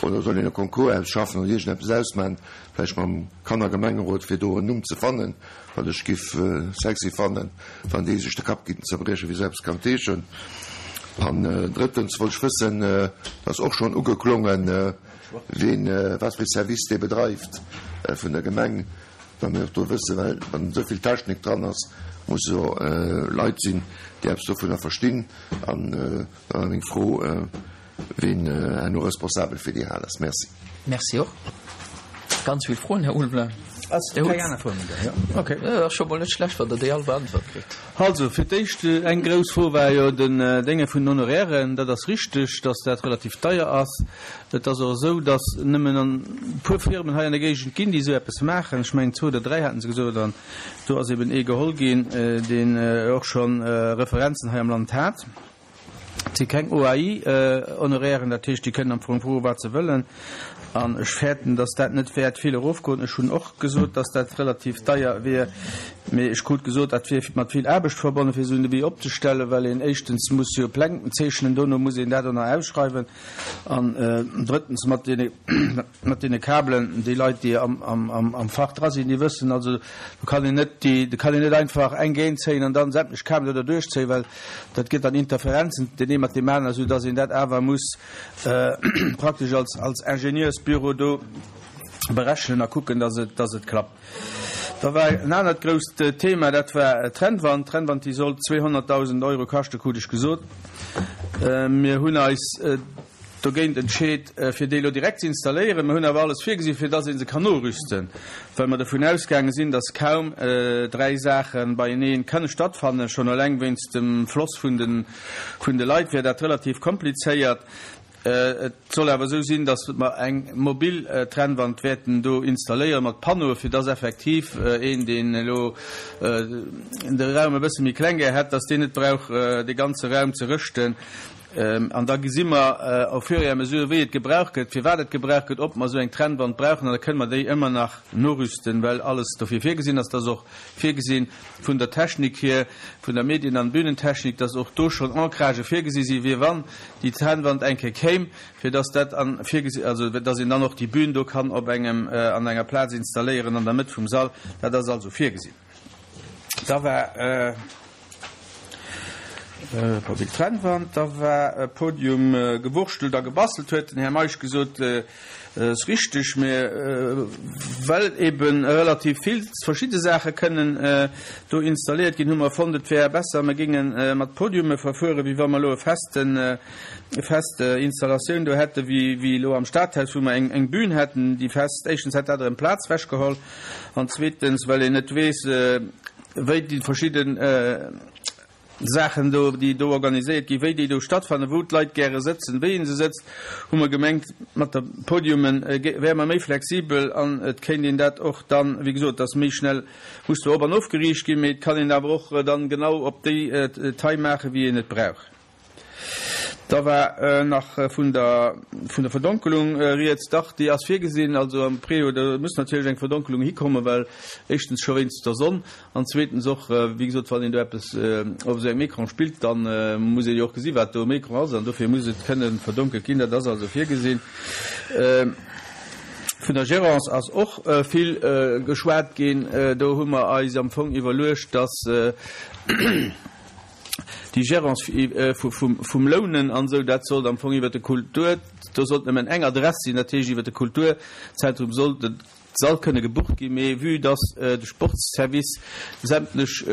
oder soll een e Concours ausschaffen oder iergendeppes ausmachen, vläicht mam Kannergemengerot, fir do en Numm ze fannen, wat ech giff sexy fannen, wann déi sech de Kapp giffen zerbriechen, wéi se eppes kann heeschen. An drëttens wollt ech wëssen, dat ass och schonn ugeklongen, ween, wat fir e Service dee bedreift vun der Gemeng, Well mir och do wëssen, well wann esou vill Technik dran ass, musse jo Leit sinn, déi eppes dovunner verstinn. An da war meng Fro, ween herno responsabel fir déi Hal ass. Merci. Merci och. Ganz vill Froen, Här Ulveling. Ass keng aner Fro méi do? Jo, okay. Dat ass scho mol net schlecht, wann Der déi all beäntwert kritt. Also, fir d'éischt, eng grouss Fro war jo den Dénge vun den Honorairen. Dat ass richteg, dass dat relativ deier ass. Et ass och esou, dass nëmmen e puer Firmen hei an der Géigend ginn, déi esou eppes maachen. Ech mengen, zwou oder dräi haten se gesot. An do ass eben ee geholl ginn, deen och scho Referenzen hei am Land hat. Et si keng OAI-Honorairen, dat heescht, déi kënnen am Fong froen, wat se wëllen. An ech fäerten, datt dat net wäert vill erofgoen. Ech hunn och gesot, datt dat relativ deier wier, mee ech krut gesot, dat wier mat vill Aarbecht verbonnen, fir esou en Devis opzestellen, well een éischtens muss jo Pläng zeechnen, dono muss een dat och nach ausschreiwen an drëttens mat deene, mat deene Kabelen, déi Leit, déi am Fach dra sinn, déi wëssen also, do kann een net déi, do kann een net einfach eng géint zéien an dann sämtlech Kabelen do derduerch zéien, well dat gëtt dann Interferenzen deen ee mat deem aneren, esou dass een dat awer muss praktesch als, als Ingenieursbüro do berechnen a kucken, dass et, dass et klappt. Da war en anert grousst Thema, dat war d'Trennwand. D'Trennwand, déi sollt 200.000 Euro kaschten, krut ech gesot. Mir hunn eis dogéint entscheet, fir déi elo direkt ze installéieren. Mir hunn awer alles virgesinn, fir dass ee se kann norüsten, well mer dovun ausgaange sinn, dass kaum dräi Saache beienee kënne stattfannen. Schonn eleng wéinst dem Floss vun de Leit wär dat relativ komplizéiert. Et soll awer esou sinn, dass mer eng mobil Trennwand wäerten do installéieren mat Panneaue, fir dass effektiv een, deen elo de Raum e bësse méi kleng gär hätt, dass deen net brauch de ganze Raum ze rëschten. An da gesi mer au fur et à mesure, wéi et gebraucht gëtt, firwat et gebraucht gëtt, ob mer esou eng Trennwand brauchen. An da kënne mer déi ëmmer nach norüsten, well alles dofir virgesinn ass. Et ass och virgesinn vun der Technik hier, vun der Medien an Bühnentechnik, dass och do schonn Ancragë virgesi si fir wann déi Trennwand eng Kéier kéim, fir dass dat an virgesi, also dass een dann och déi Bühn do kann op engem, an enger Plaz installéieren an der Mëtt vum Sall. Dat ass also virgesinn. Da war mobil Trennwand, da war Podium gewurschtelt a gebastelt, huet den Här Meisch gesot. Ass richteg, mä well ebe relativ vill verschidde Saache kënnen do installéiert ginn, hu mer fonnt, et wär besser, mer géinge mat Podiume verfueren, wéi wa mer elo e festen, e fest Installatioun do hätte wéi elo am Stadhaus, wou mer eng Bühn hätten, déi fest. Éischtens hätt dat erëm Plaz wechgeholl an zweetens, well een net weess, wéi déi verschidden Saachen do, déi do organiséiert ginn, wéi déi do stattfannen, wou d'Leit gäre sëtzen, wéi ee se sëtzt, hu mer gemengt, mat der Podiume wäre mer méi flexibel an et kéint een dat och dann, wéi gesot, et ass méi schnell, muss zwar op an ofgeriicht ginn, mee et kann een awer och dann genau op déi Taille maachen, wéi een et brauch. Da war nach vun der vun der Verdonkelung rieds. Dach, déi ass virgesinn. Also am Préau, do muss natierlech eng Verdonkelung hikommen, well éischtens scho wéinst der Sonn an zweetens och, wéi gesot, wann een do eppes op esou engem Ecran spillt, da muss ee jo och gesi wat do um Ecran ass an dofir muss et kënne verdonkelt ginn. Dat ass also virgesinn. Vun der Gérance ass och vill geschwat ginn. Do hu mer eis am Fong iwwerluecht, dass, Déi Gérance vum Lounen an esou, dat sollt am Fong iwwert de Kultur, do sollt nëmmen eng Adress sinn, dat heescht iwwert de Kulturzentrum sollt de Sall kënne gebucht ginn. Mee vue dass de Sportsservice sämtlech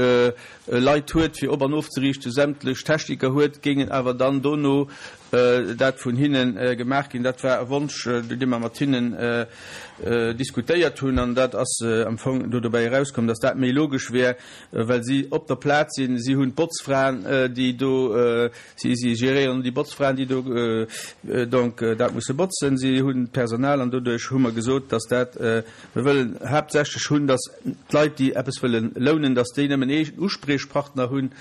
Leit huet fir op an ofzeriichten, sämtlech Techniker huet, géingen awer dann dono dat vun hinne gemaach ginn. Dat war e Wonsch, dee mer mat hinnen diskutéiert hunn an dat ass am Fong do dobäi erauskomm, dass dat méi logesch wär, well si op der Plaz sinn. Si hunn d'Botzfraen, déi do, si, si geréieren déi Botzfraen, déi do donc dat musse botzen. Si hunn d'Personal an doduerch hu mer gesot, dass dat, mir wëllen haaptsächlech hunn, dass d'Leit, déi eppes wëllen lounen, dass déi nëmmen ee Uspriechpartner hunn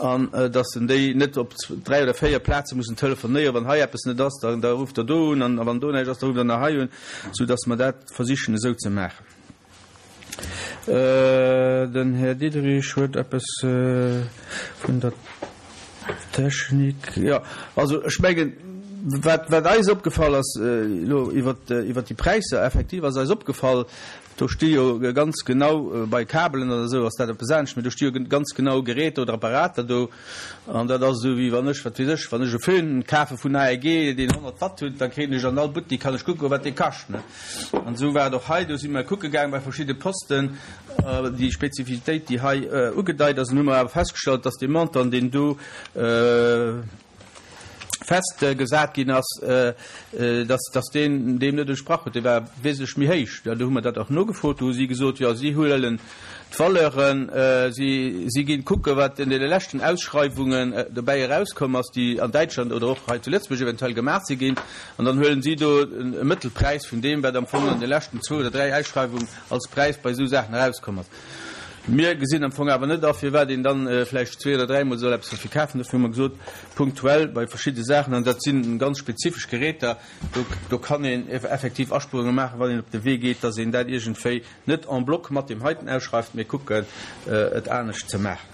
an dass en déi net op dräi oder véier Plaze mussen telefonéieren. Wann hei eppes net ass, da, da rufft der do un an wann do näischt ass, da rufft der nach hei un, soudass mer dat versichen esou ze maachen. Den Här Diderich huet eppes vun der Technik. Jo, also ech mengen, wat, wat eis opgefall ass elo iwwert, iwwert déi Präisser, effektiv ass eis opgefall, do sti jo ganz genau bei Kabelen oder esou ass dat eppes anescht, mee do sti jo ganz genau Geräter oder Apparater do an dat ass esou wéi wann ech, wat weess ech, wann ech e Föhn kafe vun AEG, deen 100 Watt huet, da kréien ech an all Buttik, kann ech kucken, wat dee kascht, ne. An esou war et och hei. Do si mer kucke gaang bei verschidde Posten, déi Spezifitéit, déi hei ugedeit ass. An hu mer awer festgestallt, dass dee Montant, deen do. Festgesat ginn ass, dass, dass deen deem net entsprach huet. Dee war wesentlech méi héich. Do hu mer dat och nogefrot. Do hu si gesot, jo, si huelen d'Valeuren, si, si ginn kucken, wat an deene leschten Ausschreiwungen dobäi erauskomm ass, déi an Däitschland oder och hei zu Lëtzebuerg eventuell gemaach si ginn, an dann huelen si do e Mëttelpräis vun deem, wat am Fong an de leschten zwou oder dräi Ausschreiwungen als Präis bei esou Saachen erauskomm ass. Mir gesinn am Fong awer net a, firwat een dann vläicht zwee oder dräimol soll eppes derfir kafen. Dofir hu mer gesot, punktuell bei verschidde Saachen, an dat si ganz spezifesch Geräter, do, do kann een effektiv Aspuerunge maachen, wann een op de Wee geet, dass een dat iergendwéi net en bloc mat deem heiten ausschreift, mee kucken, et anescht ze maachen.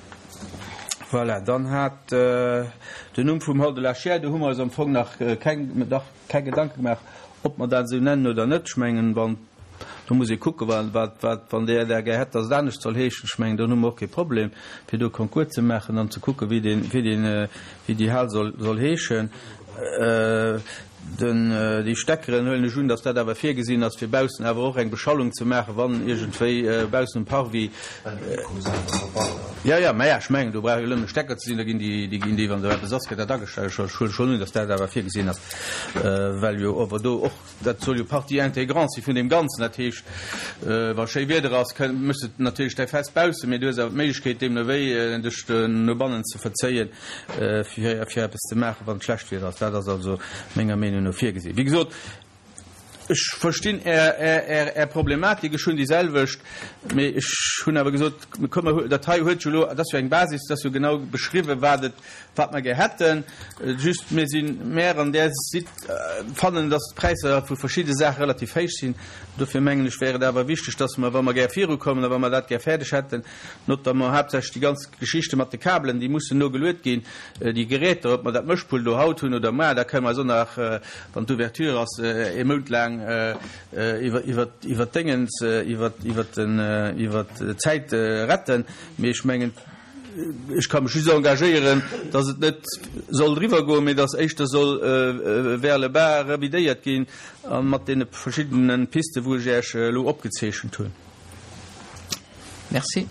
Voilà, dann hat den Numm vum Hall de la Chiers, do hu mer eis am Fong nach keng, dach, keng Gedanke gemaach, ob mer dat esou nennen oder net. Ech mengen, wann, do muss ee kucken, wa, wat, wat, wann Der där gär hätt, dass et anescht soll heeschen, ech mengen, dann hu mer och kee Problem, fir do Concours ze maachen an ze kucken, wéi deen, wéi deen, wéi déi Hal soll, soll heeschen. Den, déi Steckeren huelen ech un, dass dat awer virgesinn ass, fir baussen awer och eng Beschallung ze maachen, wann iergendwéi baussen um Parvis. Jo, jo, mä ech mengen, do brauch jo nëmmen e Stecker ze sinn, da ginn déi, déi ginn déi, wann do eppes ass, gëtt dat agestellt. Ech huele schonn un, dass dat awer virgesinn ass, well jo awer do och, dat soll jo Partie intégrante si vun deem Ganzen. Dat heescht, wa schéi Wieder ass, kënn, méchs de natierlech däi Fest baussen, mee du hues awer d'Méiglechkeet, deemno wéi dech no bannen ze verzéien. fir fir eppes ze maachen, wann et schlecht Wieder ass. Dat ass also menger Meenung no virgesinn. Wéi gesot, ech verstinn Är, Är, Är Problematik, ech hunn déi selwecht, mee ech hunn awer gesot, komm mer, dat hei huet jo elo, dat ass jo eng Basis, dat ass jo genau beschriwwen, wat et, wat mer gär hätten. Just mir sinn, mär an där Sit fannen, dass d'Präisser vu verschidde Saache relativ héich sinn. Dofir mengen ech, wär et awer wichteg, dass mer, wa mer gär virukommen a wa mer dat gär fäerdeg hätten, notamment haaptsächlech déi ganz Geschichte mat de Kabelen, déi mussen no geluet ginn, déi Geräter, ob mer dat Mëschpult elo haut hunn oder muar, da kënne mer eis och nach, wann d'Ouverture ass, ee Mount laang iwwer d'Déngens, iwwer d'Zäit retten. Mee ech mengen, ech ka mech just engagéieren, datt et net soll eriwwer goen, mee datt éischter soll vers le bas revidéiert ginn a mat deene verschiddene Pisten, wou ech Iech elo opgezeechent hunn. Merci.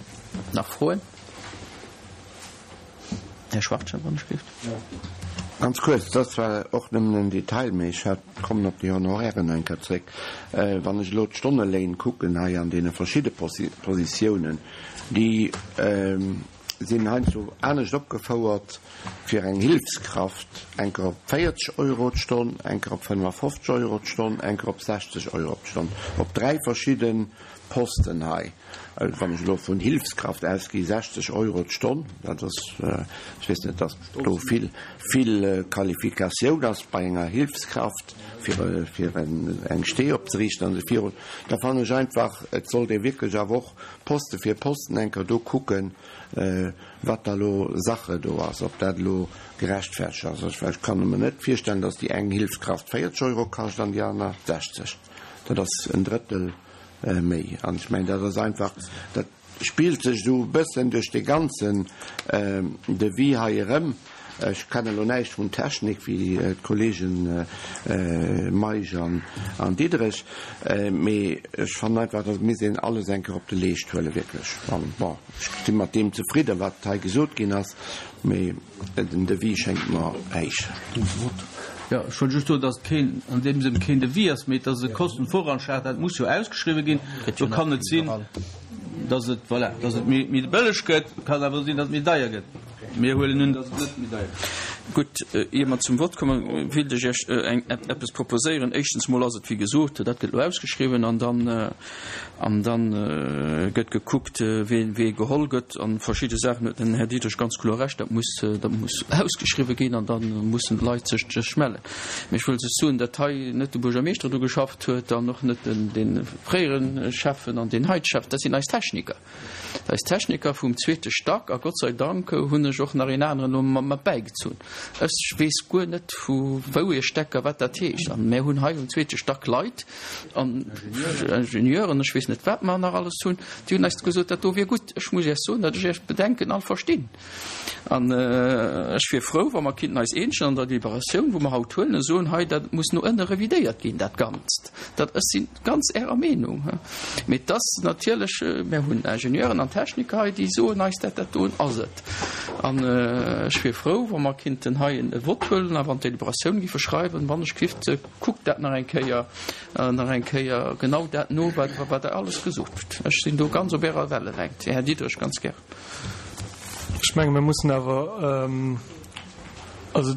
Nach Froen? Här Schwachtgen, wann ech géif. Ganz kuerz, dat ass zwar och nëmmen en Detail, mee ech hat, kommen op déi Honorairen eng Kéier zréck. Wann ech elo d'Stonneléin kucken hei an deene verschidde Positiounen, déi sinn heiansdo anescht opgefouert fir eng Hilfskraft, eng Kéier op 40 Euro d'Stonn, eng Kéier op 55 Euro d'Stonn, eng Kéier op 60 Euro d'Stonn, op dräi verschidde Posten hei, wann ech elo vun Hilfskraft ausgi, 60 Euro d'Stonn, dat ass, ech weess net, dass do vill, vill Qualifikatioun ass bei enger Hilfskraft, fir, fir eng Stee opzeriichten an esou virun, da fannen ech einfach, et sollt ee wierklech awer och Poste fir Posten eng Kéier do kucken, wat da elo Sache do ass, ob dat elo gerechtfertegt ass. Ech, ech kann mer net virstellen, dass déi eng Hilfskraft 40 Euro kascht an déi aner 60. Dat ass en Drëttel méi. An ech mengen, dat ass einfach, dat spillt sech esou e bëssen duerch dee ganzen Devis hei erëm. Ech kennen elo näischt vun Technik wéi d'Kollegen Meisch an Diderich, mee ech fannen einfach, dat misst een alles eng Kéier op de Leescht huelen, wierklech. An bon, ech si mat deem zefridden, wat hei gesot ginn ass, mee Den Devis schéngt mer héich. Jo, ech wollt just soen, dass et keen, an deem Sënn keen Devis ass, mee et ass e Kostenvoranschlag. Dat muss jo ausgeschriwwen ginn. Do kann et sinn, dass et, voilà, dass et méi, méi bëlleg gëtt. Et kann awer och sinn, dass et méi deier gëtt. Mir huelen un, dass et net méi deier gëtt. Gutt, ier mer zum Vott kommen, wéilt ech Iech eng, eppes proposéieren. Éischtens mol ass et, wéi gesot, dat gëtt elo ausgeschriwwen an dann, An da gëtt gekuckt, wee geholl gëtt. A verschidde Saachen huet den Här Diderich ganz kloer Recht, dat muss, dat muss ausgeschriwwen ginn an da mussen d'Leit sech, sech mellen. Mee ech wëll just soen, datt hei net de Buergermeeschter dru geschafft huet an och net den, dee fréiere Schäffen an deen heite Schäffen. Dat sinn eis Techniker. Eis Techniker vum zweete Stack. A Gott sei Dank hunn ech och nach een aneren elo mat bäigezunn. Ech weess guer net, vu wou ee Stecker, wat dat heescht. An mär hunn hei um zweete Stack Leit, an Ingenieuren, ech weess net wat mer nach alles hunn, déi hunn eis gesot, dat do wier gutt. Ech muss Iech soen, datt ech Iech Bedenken all verstinn. An ech wier frou, wa mer kinnten eis eenegen an der Deliberatioun, wou mer haut huelen, a soen, hei, dat muss no ënne revidéiert ginn, dat Ganzt. Dat, ech si ganz Ärer Meenung. Mee et ass natierlech, mer hunn Ingenieuren an Techniker hei, déi soen eis, dat dat doen ass et. An ech wier frou, wa mer kinnten. kéinten hei e Vott huelen a wann d'Deliberatioun géife schreiwen, wann ech gift, kuckt dat nach eng Kéier, nach eng Kéier genau dat no, wat, wat Der alles gesot hutt. Ech sinn do ganz op Ärer Wellelängt, Här Diderich, ganz gär. Ech menge mir mussen awer, also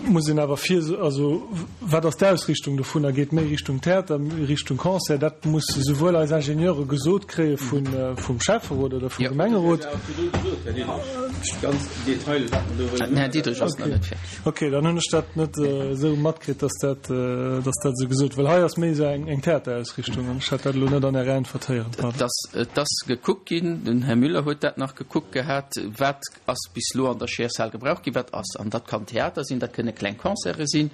muss een awer vir, also wat ass d'Ausrichtung dovunner? Geet méi Richtung Theater, méi Richtung Concert? Dat muss souwuel eis Ingenieure gesot kréie vum Schäfferot oder vum Gemengerot. Ok, dann hunn ech dat net esou matkritt, datt dat, datt dat esou gesot, well hei ass méi esou eng Theaterausrichtung an ech hat dat elo net an Ärer Äntwert héieren. Pardon. Et ass gekuckt ginn, den Här Müller huet dat nach gekuckt gehat, wat ass bis elo an der Scheershal gebraucht ginn, wat ass. An dat kann Theater sinn, dat kënne kleng Concerte sinn,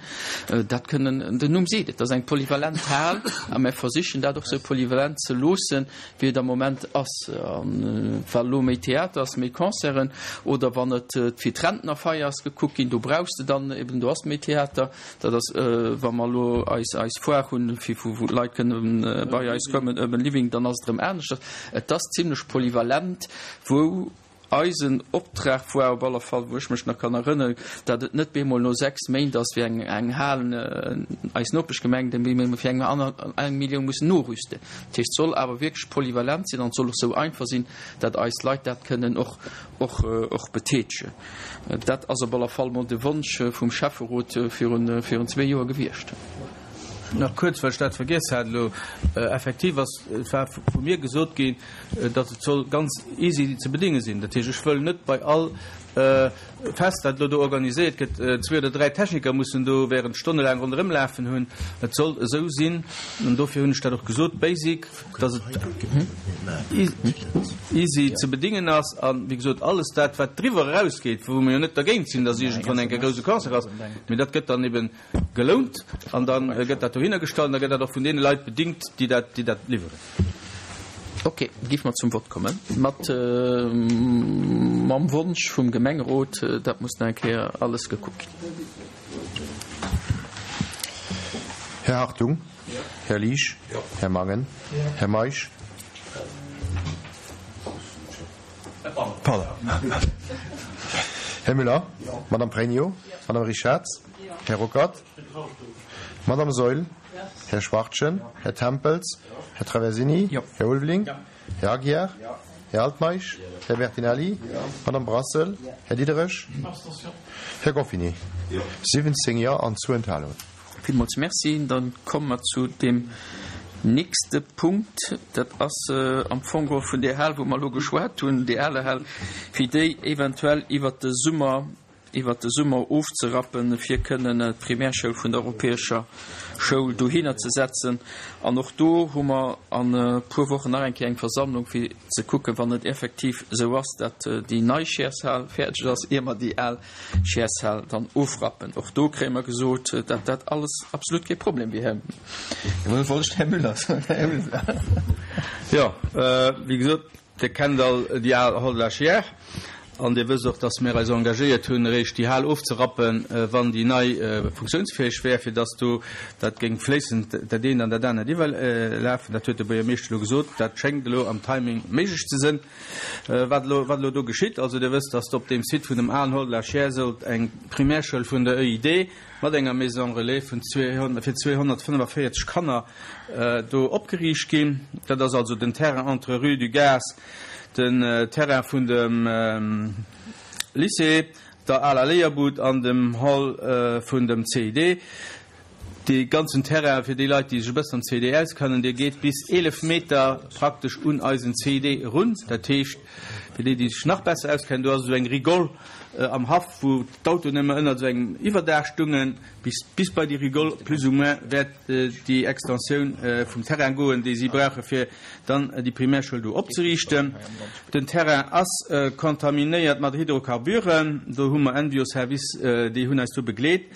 dat kënnen, den Numm seet et, dat ass eng polyvalent Hal a mir versichen dat och esou polyvalent ze loossen, wéi et am Moment ass. A wa elo méi Theater ass, méi Concerten oder wann et fir d'Rentnerfeier ass gekuckt ginn, do brauchs de dann eben, do ass méi Theater. Dat ass, wa mer elo eis eis Foire hunn, fir wou wou d'Leit kënne bei eis kommen, Urban Living, dann ass et erëm aneschters. Et ass zimlech polyvalent, wou eisen Optrag war op alle Fall, wou ech mech nach kann erënneren, datt et net bemol no 6 Méint ass, wéi eng eng Hal, eis Nopeschgemeng, déi mir fir eng aner eng Millioun mussen norüsten. Dat heescht, et soll awer wierklech polyvalent sinn an et soll och esou einfach sinn, datt eis Leit dat kënnen och och och betätegen. Dat ass op alle Fall mol de Wonsch vum Schäfferot virun virun zwee Joer gewiescht. Nach kuerz, well ech dat vergiess hat elo. Effektiv ass, et war vu mir gesot ginn, datt et soll ganz easy ze bedinge sinn. Dat heescht, ech wëll net bei all Fest, dat elo do organiséiert gëtt, zwee oder dräi Techniker mussen do während stonnelaang ronderëm lafen hunn. Et soll esou sinn, an dofir hunn ech dat och gesot, basic, datt et easy ze bedingen ass. A wéi gesot, alles dat, wat driwwer erausgeet, wou mer jo net dergéint sinn, datt iergendwann eng Kéier e grouse Concert ass, mee dat gëtt dann eben Gelount an da gëtt dat dohinner gestallt an da gëtt dat och vun deene Leit bedingt, déi dat, déi dat liwweren. Ok, géife mer zum Vott kommen. Mat, mam Wonsch vum Gemengerot, dat muss nach eng Kéier alles gekuckt ginn. Här Hartung? Här Liesch? Här Mangen? Här Meisch? Pardon. Här Müller? Madame Pregno? Madame Richarz? Här Ruckert? Madame Saeul? Här Schwachtgen? Här Tempels? Här Traversini? Här Ulveling? Här Aguiar? Här Altmeisch? Här Bertinelli? Madame Brassel? Här Diderich? Här Goffini? 17 Jo an zwou Enthalungen. Villmools Merci. Da komme mer zu deem nächste Punkt. Dat ass am Fong geholl vun där Hal, wou mer elo geschwat hunn, déi ale Hal, fir déi eventuell iwwert de Summer, iwwert de Summer ofzerappen, fir kënnen d'Primärschoul vun der Europäescher Schoul dohinner ze setzen. An och do hu mer an e puer Wochen nach eng Kéier eng Versammlung, fir ze kucken, wann et effektiv esou ass, dat déi nei Chairsehal fäerdeg ass, ier mer déi al Chairsehal dann ofrappen. Och do kréie mer gesot, dat dat alles absolut kee Problem wier. Här, wollt ech Här Müller soen, Här Müller. Jo, wéi gesot, Dir kennt all déi al Hall de la Chiers an Dir wësst och, dass mir eis engagéiert hunn, eréischt déi Hal ofzerappen, wann déi nei funktiounsfäeg wär, fir dass do dat géing fléissend dat eent an dat anert iwwerlafen. Dat huet de Buergermeeschter elo gesot. Dat schéngt elo am Timing méiglech ze sinn. Wat elo, wat elo do geschitt, also Dir wësst, dass op deem Site vun dem alen Hall de la Chiers sollt eng Primärschoul vun der EID mat enger Maison relais vun fir 245 Kanner do opgeriicht ginn. Dat ass also den Terrain entre rue du Gaz, den Terrain vun dem Lycée, der aler Léierbud an dem Hall vun dem CID. Dee ganzen Terrain, fir déi Leit, déi sech e bëssen am CID auskennen, dee geet bis 11 Meter praktesch un eisen CID erun. Dat heescht, fir déi, déi sech nach besser auskennen, do ass esou eng Rigole am Haff, wou d'Autoen ëmmer ënnert esou engem Iwwerdaach stungen, bis bis bei déi Rigole plus ou moins wäert déi Extensioun vum Terrain goen, déi si brauche fir dann déi Primärschoul do opzeriichten. Den Terrain ass kontaminéiert mat Hydrocarburen. Do hu mer Envio-Service, déi hunn eis do begleet.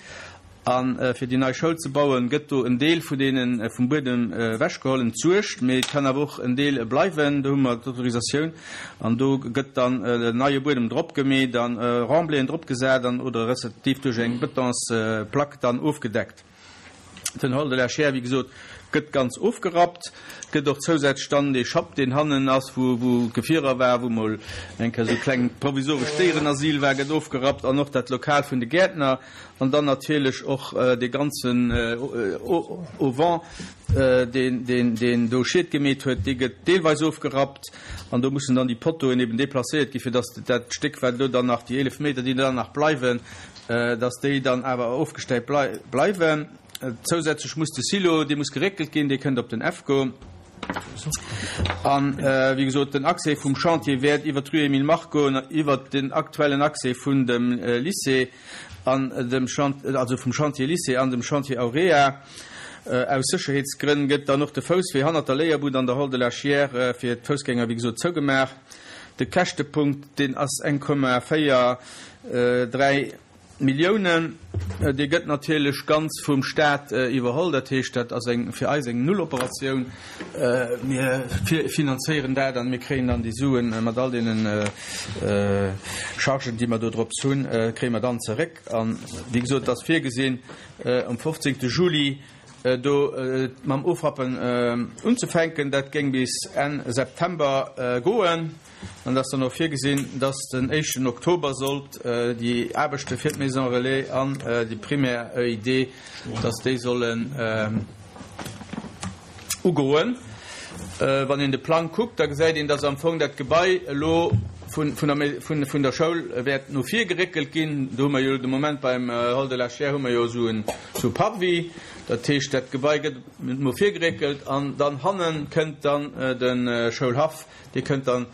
A fir déi nei Schoul ze bauen, gëtt do en Deel vun deene vum Buedem ewechgeholl, entsuergt, mee et kann awer och en Deel bleiwen. Do hu mer d'Autorisatioun an do gëtt dann neie Buedem drop gemeet an Remblayen drop gesat an oder respektiv duerch eng Betonsplack dann ofgedeckt. Den Hall de la Chaire, wéi gesot, gëtt ganz ofgerappt, gëtt och zousätzlech dann dee Schapp, deen hannen ass, wou wou Gefierer war, wou mol eng Kéier esou e klengt provisorescht Déierenasyl war, gëtt ofgerappt an och dat Lokal vun de Gäertner an dann natierlech och dee ganzen Auvent, deen deen deen do Schied gemeet huet, dee gëtt deelweis ofgerappt an do mussen dann déi Pottoen eben deplacéiert gi fir datt dat Stéck, wat elo dann nach, déi 11 Meter, déi dann nach bleiwen, dass déi dann awer ofgestäipt bleiwen. Zousätzlech muss de Silo, dee muss geréckelt ginn, dee kënnt op den EFCO. An, wéi gesot, den Accès vum Chantier wäert iwwert d'Rue Emile Mark goen, iwwert den aktuellen Accès vun dem Lycée an dem Chantier, also vum Chantier Lycée an dem Chantier Aurea. Aus Sécherheetsgrënn gëtt dann och de Fousswee hannert der Léierbud an der Hall de la Chiers fir d'Foussgänger, wéi gesot, zougemaach. De Käschtepunkt, deen ass 1,4 3 Milliounen, dee gëtt natierlech ganz vum Staat iwwerholl. Dat heescht, dat ass eng fir eis eng Nulloperatioun. Mir finanzéieren dat an mir kréien dann déi Suen mat all deene Chargen, déi mer do drops hunn, kréie mer dann zeréck. An, wéi gesot, et ass virgesinn, um 15. Juli do mam Ofrappen unzefänken. Dat géing bis Enn September goen. An et ass dann och virgesinn, dass den éischten Oktober sollt déi Aarbechte fir d'Maison Relais an déi Primaire EID, dass déi sollen ugoen. Wann een de Plang kuckt, da gesäit een, dass am Fong dat Gebai elo vun der Schoul wäert no vir geréckelt ginn. Do hu mer jo de Moment beim Hall de la Chaire hu mer jo esou e Parvis. Dat heescht, dat Gebai gëtt no vir geréckelt an dann hanne kënnt dann de Schoulhaff. Dee kënnt dann,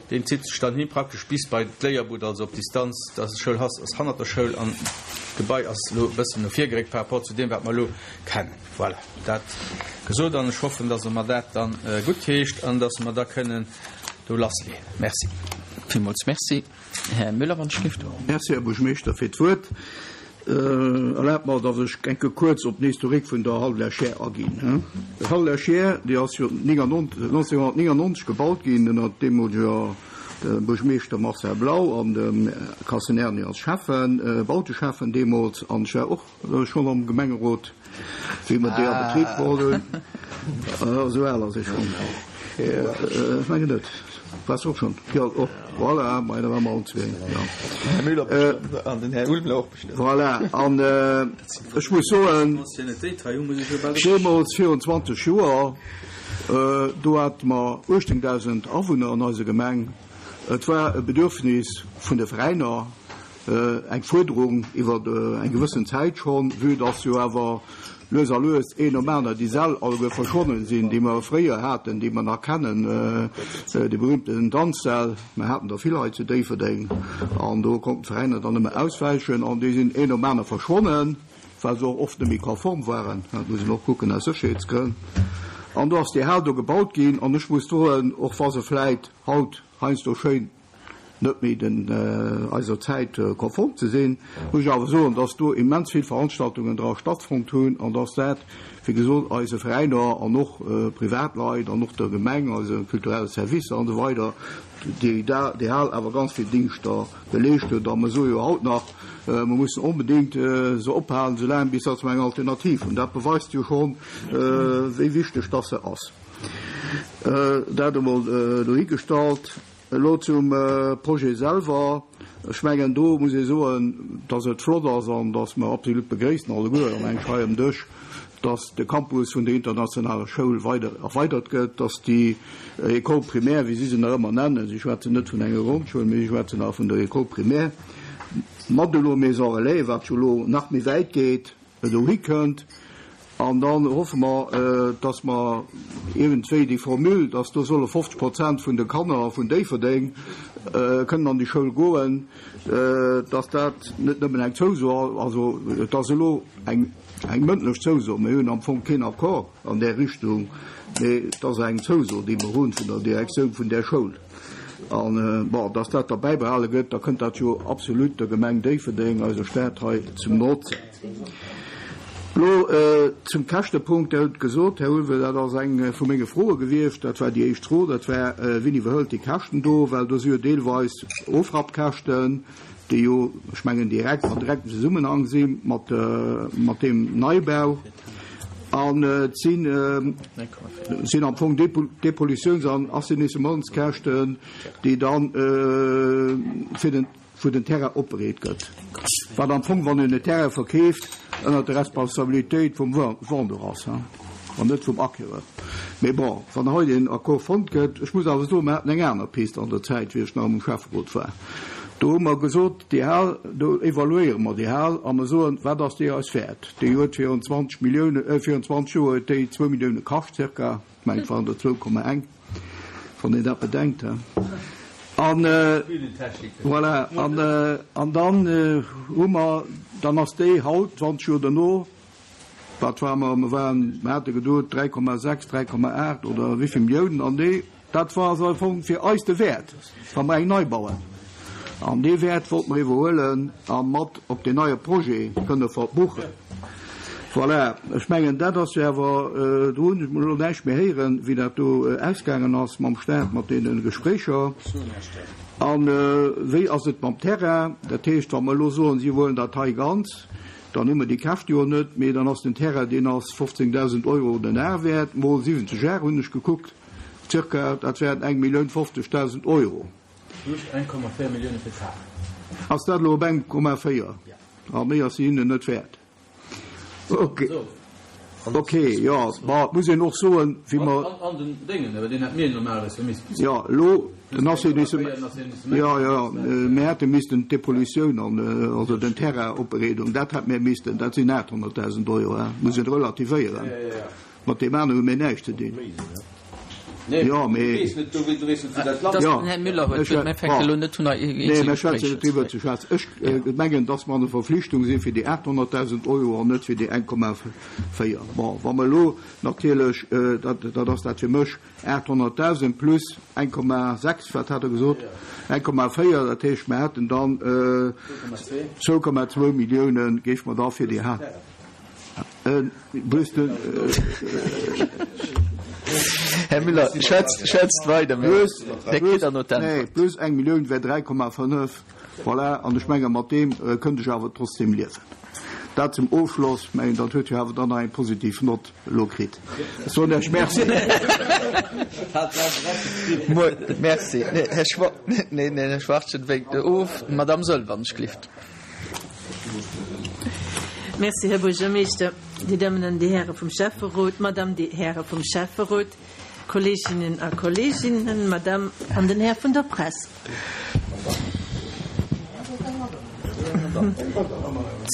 deen zitt sech dann hi praktesch bis bei d'Léierbud, also op Distanz, dass de Schoulhass ass hannert der Schoul an d'Gebai ass elo e bëssen no vir geréckt par rapport zu deem, wat mer elo kennen. Voilà, dat gesot an ech hoffen, dass Der mer dat dann guttheescht an dass mer da kënnen do lassleeën. Merci. Villmools Merci. Här Müller, wann ech dierft. Merci, Här Buergermeeschter, fir d'Wuert. Erlaabt mer, datt ech enke kuerz op den Historique vun der Hall de la Chaire aginn. D'Hall de la Chaire, déi ass jo 1999 gebaut ginn ënner deemoleger Buergermeeschter Marcel Blau an dem Kassen Erny als Schäffen, Bauteschäffen deemools. An ech war och schonn am Gemengerot, wéi mer déi a Betrib geholl hunn. Esou al ass ee schonn. Ech mengen net. Waars du och schonn? Jo, och. Voilà, mei da ware mer allen zwee, jo. Här Müller bestëmmt an den Här Ulmler och bestëmmt. Voilà, an ech muss soen, deemools virun 20 Joer, do hate mer 18.000 Awunner an eiser Gemeng. Et war e Bedürfnis vun de Veräiner, Eng Fuerderung iwwer eng gewëssen Zäit schonn, vue dass jo awer lues a lues een nom aner déi Säll alleguer verschwonnen sinn, déi mer fréier haten, déi mer nach kennen, déi berühmten Danzsäll. Mer haten der vill hei zu Déifferdeng an do konnten d'Veräiner dann nëmme auswäichen an déi sinn een nom aner verschwonnen, well se och oft net méi konform waren. Dat muss een och kucken aus Sécherheetsgrënn. An do ass déi Hal do gebaut ginn an ech muss soen, och wa se vläit haut heiansdo schéin net méi den eiser Zäit konform ze sinn, muss ech awer soen, dass do immens vill Veranstaltungen dra stattfonnt hunn an dass dat, wéi gesot, eise Veräiner an och Privatleit an och der Gemeng, eise kulturelle Servicer an esou weider, déi déi Hal awer ganz vill Dingschter geleescht huet. A mer soe jo haut nach, mer mussen onbedéngt se ophalen, soulaang bis dass mer eng Alternativ hunn. Dat beweist jo schonn, wéi wichteg dass se ass. Dat emol dohigestallt. Elo zum Projet selwer. Ech mengen, do muss ee soen, dass et flott ass an dass mer absolut begréissen alleguer an eng hei um Dësch, dass de Campus vun der internationaler Schoul weider erweidert gëtt, dass déi École primaire, wéi si se nach ëmmer nennen, si schwätzen net vun enger Grondschoul, mee si schwätzen nach vun der École primaire, mat elo Maison relais, wat jo elo nach méi wäit geet, dohi kënnt. An dann hoffe mer, dass mer iergendwéi déi Formule, dass do solle 50 Prozent vun de Kanner vun Déifferdeng kënnen an déi Schoul goen, dass dat net nëmmen eng Zouso ass, also et ass elo eng mëndlech Zouso, mir hunn am Fong keen Accord an där Richtung, mee et ass eng Zouso, déi mer hunn vun der Direktioun vun där Schoul. An, bon, dass dat da bäibehale gëtt, da kënnt dat jo absolut der Gemeng Déifferdeng, eiser Stad hei, zum Notzen. Elo zum Käschtepunkt. Der hutt gesot, Här Ulve, dat ass eng vu menge Froe gewiescht, dat war déi éischt Fro, dat war, Wien iwwerhëlt déi Käschten do? Well do si jo deelweis Ofrappkäschten, déi jo, ech mengen, direkt an direktem Zesummenhang si mat deem Neibau. An et sinn sinn am Fong Depollutiouns an Assainnissementskäschten, déi dann fir den wou den Terrain opbereet gëtt, wat am Fong, wann een e Terrain verkeeft, ënnert der Responsabilitéit vum Vendeur ass an net vum Acquéreur. Mee bon, wann hei een Accord fonnt gëtt, ech muss awer soen, mer haten eng aner Pist an der Zäit, wéi ech nach am Schäfferot war, do hu mer gesot, déi Hal, do evaluéiere mer déi Hal a mer soen, wat ass déi eis wäert? Déi huet virun 20 Milliounen, virun 20 Joer huet déi zwou Millioune kascht zirka, ech mengen et waren der 2,1. Wann een dat bedenkt, he. An, voilà, an, an dann hu mer, dann ass déi haut, 20 Joer derno, wat ware mer, mer waren, mer hate geduet 3,6, 3,8 oder wéivill Milliounen, an déi, dat war also am Fong fir eis de Wäert, wa mer eng nei bauen. An dee Wäert wollte mer iwwerhuelen a mat op deen neie Projet kënne verbuchen. Voilà, ech mengen, dat ass jo awer, do hunn ech elo näischt méi héieren, wéi dat do ausgaangen ass mam Staat, mat deene Gespréicher. A wéi ass et mam Terrain? Dat heescht, wa mer elo soen, si huelen dat hei ganz, dann hu mer déi Käscht jo net, mee dann ass den Terrain, deen ass 15.000 Euro den Ar wäert, mol 70 Ar hunn ech gekuckt, zirka, dat wären 1.050.000 Euro. Plus 1,4 Millioune fir d'Hal. Ass dat elo op 1,4? A méi ass se hinnen net wäert. Ok, ok, jo, ma et muss een och soen, wéi mer. An den Déngen, awer deen hätt mir normalerweis jo missten. Jo, elo den Assainissement, jo, jo, mir hätte missten d'Depollutioun an, also den Terrain-Opbereedung, dat hätt mir missten, dat sinn 800.000 Euro, hein, muss een relativéieren. Mat deem anere hu mir näischt ze dinn. Jo, mee. Jo, Den Här Müller huet d'Wuert. Mir fänke elo net un, hei Nee, eenzel mir schwätzen Gespréicher net ze driwwer ze féieren. schwätzen. Ech mengen, dass mer an der Verflichtung si fir déi 800.000 Euro an net fir déi 1,4. Bon, wa mer elo natierlech, dat, dat ass dat fir mech, 800.000 plus 1,6, wat hat Der gesot? 1,4, dat heescht, mer hätten dann 2,2 Milliounen géife mer da fir déi. Här Müller, schwätzt, schwätzt weider, mä Dir kritt dann no d'Äntwert. Plus eng Millioun wär 3,5, voilà, an ech menge mat deem kënnt ech awer trotzdem liewen. Dat zum Ofschloss, ech mengen dat huet jo awer dann nach eng positiv Nott elo kritt. Ech soen Iech Merci. Merci. Här Schwa-, neen, Här Schwachtgen wénkt of. D'Madame Soll, wann ech gelift. Merci, Här Buergermeeschter, Dir Dammen an Dir Häre vum Schäfferot, Madame, Dir Häre vum Schäfferot, Kolleeginnen a Kolleeginnen, Madame an den Här vun der Press.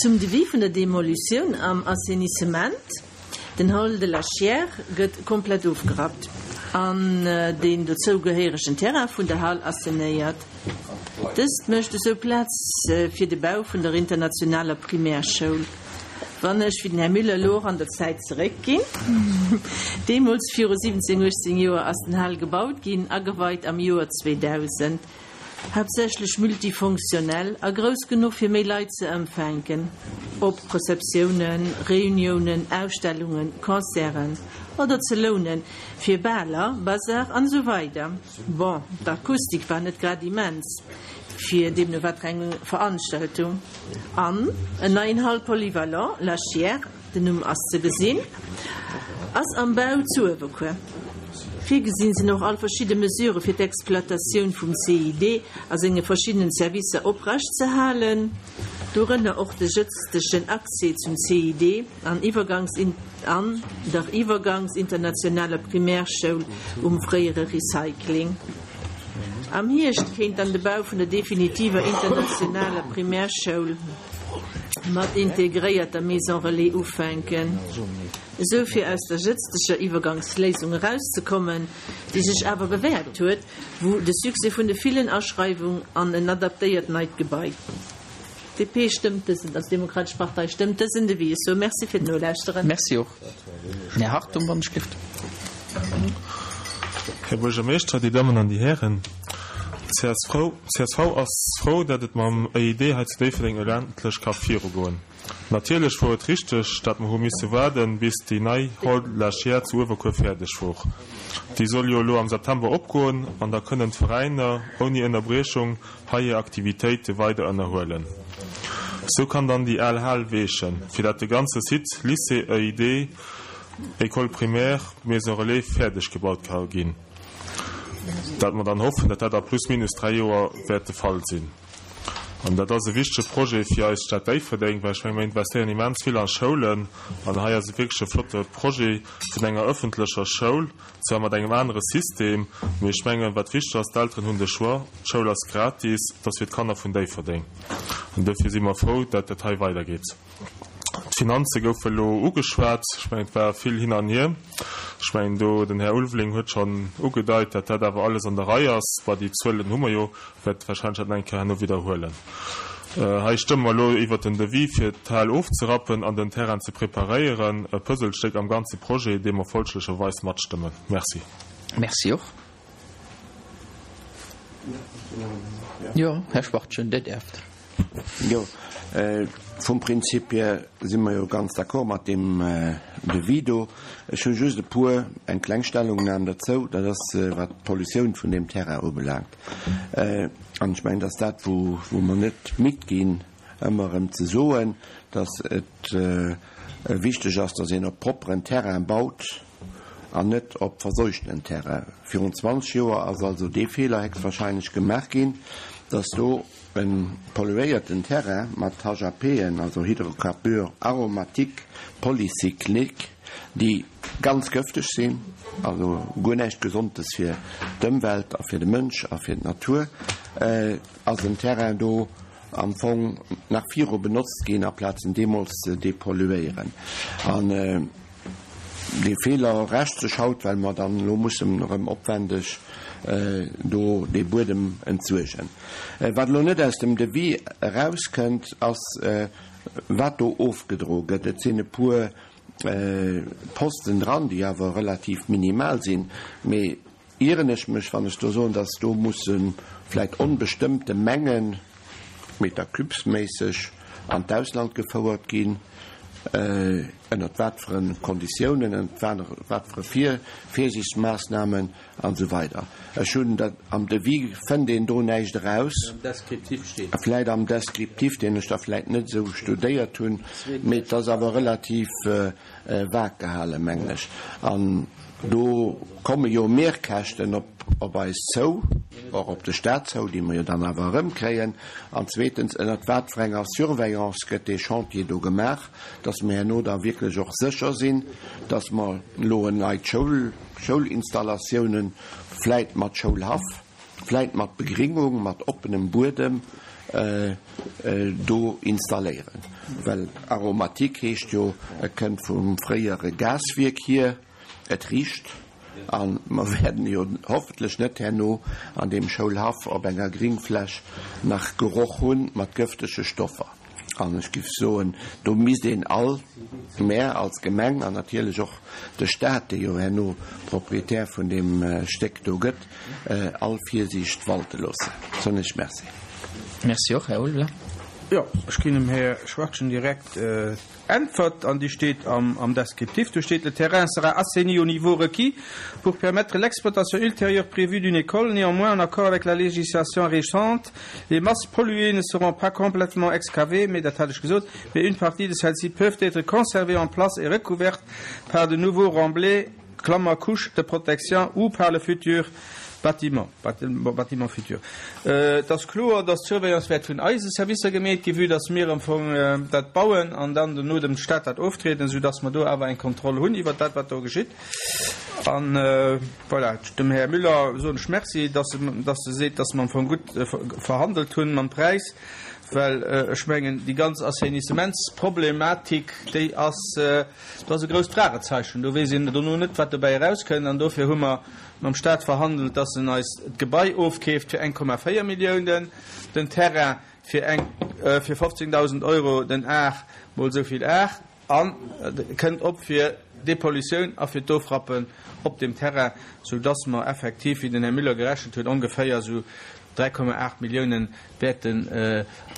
Zum Devis vun der Demolutioun am Assainissement. Den Hall de la Chiers gëtt komplett ofgerappt an deen dozou gehéieregen Terrain vun der Hal assainéiert. Dëst mécht esou Plaz fir de Bau vun der internationaler Primärschoul. Wann ech, wéi den Här Müller, elo och an der Zäit zeréckginn, deemools viru 17, 18 Joer ass den Hal gebaut ginn, ageweit am Joer 2000. Haaptsächlech multifonctionnel a grouss genuch fir méi Leit ze ëmfänken, ob Receptiounen, Reuniounen, Ausstellungen, Concerten oder ze lounen fir Baler, Bazar an esou weider. Bon, d'Akustik war net grad immens fir deemno wat fir eng Veranstaltung. An en neien Hall polyvalent, La Chiers, Den Numm ass ze gesinn, ass am Bau zu Uewerkuer. Virgesinn sinn och all verschidde Mesurë fir d'Exploitatioun vum CID a senge verschiddenen Servicer oprecht ze halen, dorënner och de jëtztegen Accès zum CID an an der iwwergangsinternationaler Primärschoul um fréiere Recycling. Am Hierscht kéint dann de Bau vun der definitiver internationaler Primärschoul mat integréierter Maison Relais ufänken, esou fir aus der jëtzteger Iwwergangsléisung erauszekommen, déi sech awer bewäert huet, vu de Succès vun de villen Aschreiwung an en adaptéiert neit Gebai. DP stëmmt dësen, also d'Demokratesch Partei stëmmt dësen Devis. Ech soe Merci fir d'Nolauschteren. Merci och. Här Hartung, wann ech gelift. Här Buergermeeschter, Dir Dammen an Dir Hären, csv, csv ass frou, dat et mam EID hei zu Déifferdeng elo endlech ka virugoen. Natierlech wor et richteg, dat mer hu misse waarden, bis déi nei Hall de la Chiers zu Uewerkuer fäerdeg wor. Déi soll jo elo am September opgoen an da kënnen d'Veräiner ouni Ënnerbriechung hei hir Aktivitéite weider ënnerhuelen. Sou kann dann déi al Hal weechen, fir dat de ganze Site Lycée EID. École primaire, Maison relais fäerdeg gebaut ka ginn. Dat mer dann hoffen, datt dat a plus minus 3 Joer wäert de Fall sinn. An dat ass e wichtege Projet fir eis Stad Déifferdeng, well ech menge mir investéieren immens vill a Schoulen an hei ass e wierklech e flotte Projet vun enger ëffentlecher Schoul, zwar mat engem anere System, mee ech mengen, wat wichteg ass, d'Elteren hunn de Choix, d'Schoul ass gratis, et ass fir d'Kanner vun Déifferdeng an dofir si mer frou, dat dat hei weidergeet. D'Finanze goufe elo ugeschwat. Ech mengen, et war vill hin an hier. Ech mengen, do den Här Ulveling huet schonn ugedeit, datt dat awer alles an der Rei ass. Bah, déi Zuelen hu mer jo, wäert warscheinlech dat nach eng Kéier herno widderhuelen. Hei stëmme mer elo iwwert den Devis, fir d'Hal ofzerappen an den Terrain ze preparéieren. E Puzzlestéck am ganze Projet, dee mer folglecherweis matstëmmen. Merci. Merci och. Jo, Här Schwachtgen, Dir däerft. Jo, vum Prinzip hier si mer jo ganz d'accord mat deem Devis do. Ech hu just e puer, eng kleng Stellungnam derzou, dat ass wat d'Pollutioun vun deem Terrain ubelaangt. An ech mengen, dat ass dat, wou mer net midd ginn, ëmmer erëm ze soen, dass et wichteg ass, dass een op propperen Terrain baut an net op verseuchtenen Terrain. Virun 20 Joer ass also dee Feeler héchstwahrscheinlech gemaach ginn, dass do e polluéierten Terrain mat HAPen, also Hydrocarbures aromatiques polycycliques, déi ganz gëfteg sinn, also guer näischt Gesondes fir d'Ëmwelt a fir de Mënsch a fir d'Natur, ass en Terrain do am Fong nach viru benotzt ginn, aplaz en deemools ze depolluéieren. An dee Feeler rächt sech haut, well mer dann elo mussen erëm opwendeg do dee Buedem entsuergen. Wat elo net aus dem Devis erauskënnt, ass, wat do ofgedro gëtt. Et sinn e puer Posten dran, déi awer relativ minimal sinn, mee Ieren ech mech, wann ech do soen, dass do musse vläicht onbestëmmte Mengen, Meter cubes-méisseg, an d'Ausland gefouert ginn, ënnert wat fir e Konditiounen, ënnert wat fir e Virsiichtsmaßnahmen an esou weider. Ech hunn dat, am Devis fënnt een do näischt eraus. Am Descriptif steet. Vläicht am Descriptif, deen ech da vläicht net esou studéiert hunn, mee et ass awer relativ vag gehalen, mengen ech. An do komme jo Mehrkäschten op eis zou, och op de Stat zou, déi mer jo dann awer erëmkréien. An zweetens, ënnert wat fir enger Surveillance gëtt dee Chantier do gemaach, dass mer herno da wierklech och sécher sinn, dass mer elo en neit Schoul, Schoulinstallatiounen, vläit mat Schoulhaff, vläit mat Begringung, mat oppenem Buedem do installéieren. Well Aromatique heescht jo, et kënnt vum fréiere Gaswierk hier, et richt, a mer wäerten jo hoffentlech net herno an deem Schoulhaff op enger Gringfläch nach Geroch hu mat gëftege Stoffer. An ech géif soen, do misst een all, mär als Gemeng an natierlech och de Stat, dee jo herno Proprietär vun deem Stéck do gëtt, all Virsiicht walte loossen. Soen ech Merci. Merci och, Här Ulveling. Jo, ech ginn dem Här Schwachtgen direkt Äntwert, an déi steet am Descriptif. Do steet, Le terrain sera assaini au niveau requis pour permettre l'exploitation ultérieure prévue d'une école. Néanmoins, en accord avec la législation récente, les masses polluées ne seront pas complètement excavées, mais dat hat ech gesot, mais une partie de celles-ci peuvent être conservées en place et recouvertes par de nouveaux remblais, Klammer, couche de protection ou par le futur bâtiment, bâtiment futur. Et ass kloer, dass d'Surveillance wäert vun eise Servicer gemeet ginn, vue dass mir am Fong dat bauen an dann dono dem Stat dat oftrieden, soudass mer do awer eng Kontroll hunn iwwert dat, wat do geschitt. An voilà, dem Här Müller soen ech Merci, dass e, dass e seet, dass mer am Fong gutt verhandelt hunn mam Präis, well ech mengen, déi ganz Assainissementsproblematik, déi ass, Do ass e grousst Fragezeichen. Do weess een dono net, wat dobäi erauskënnt. An dofir hu mer mam Stat verhandelt, dass en eis d'Gebai ofkeeft fir 1,4 Milliounen, den Terrain fir eng, fir 15.000 Euro den Ar mol esou vill Ar, a kënnt op fir d'Depollutioun a fir d'Ofrappen op deem Terrain, soudass mer effektiv, wéi den Här Müller gerechent huet, ongeféier esou 3,8 Milliounen wäerten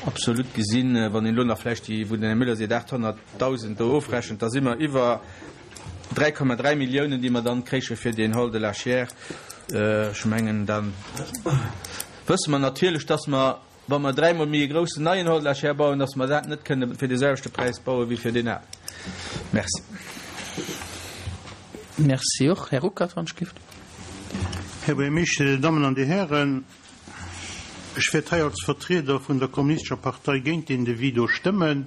absolut gesinn, wann een elo nach vläicht déi, wou den Här Müller seet, 800.000 do ofrechent, da si mer iwwer 3,3 Milliounen, déi mer dann kréiche fir deen Hall de la Chiers. Ech mengen, da wësse mer natierlech, dass mer, wa mer dräimol méi e groussen neien Hall de la Chiers bauen, dass mer dat net kënne fir dee selwechte Präis baue wéi fir deen alen. Merci. Merci och. Här Ruckert, wann ech gift. Här Buergermeeschter, Dir Dammen an Dir Hären, ech wäert hei als Vertrieder vun der Kommunistescher Partei géint deen Devis do stëmmen,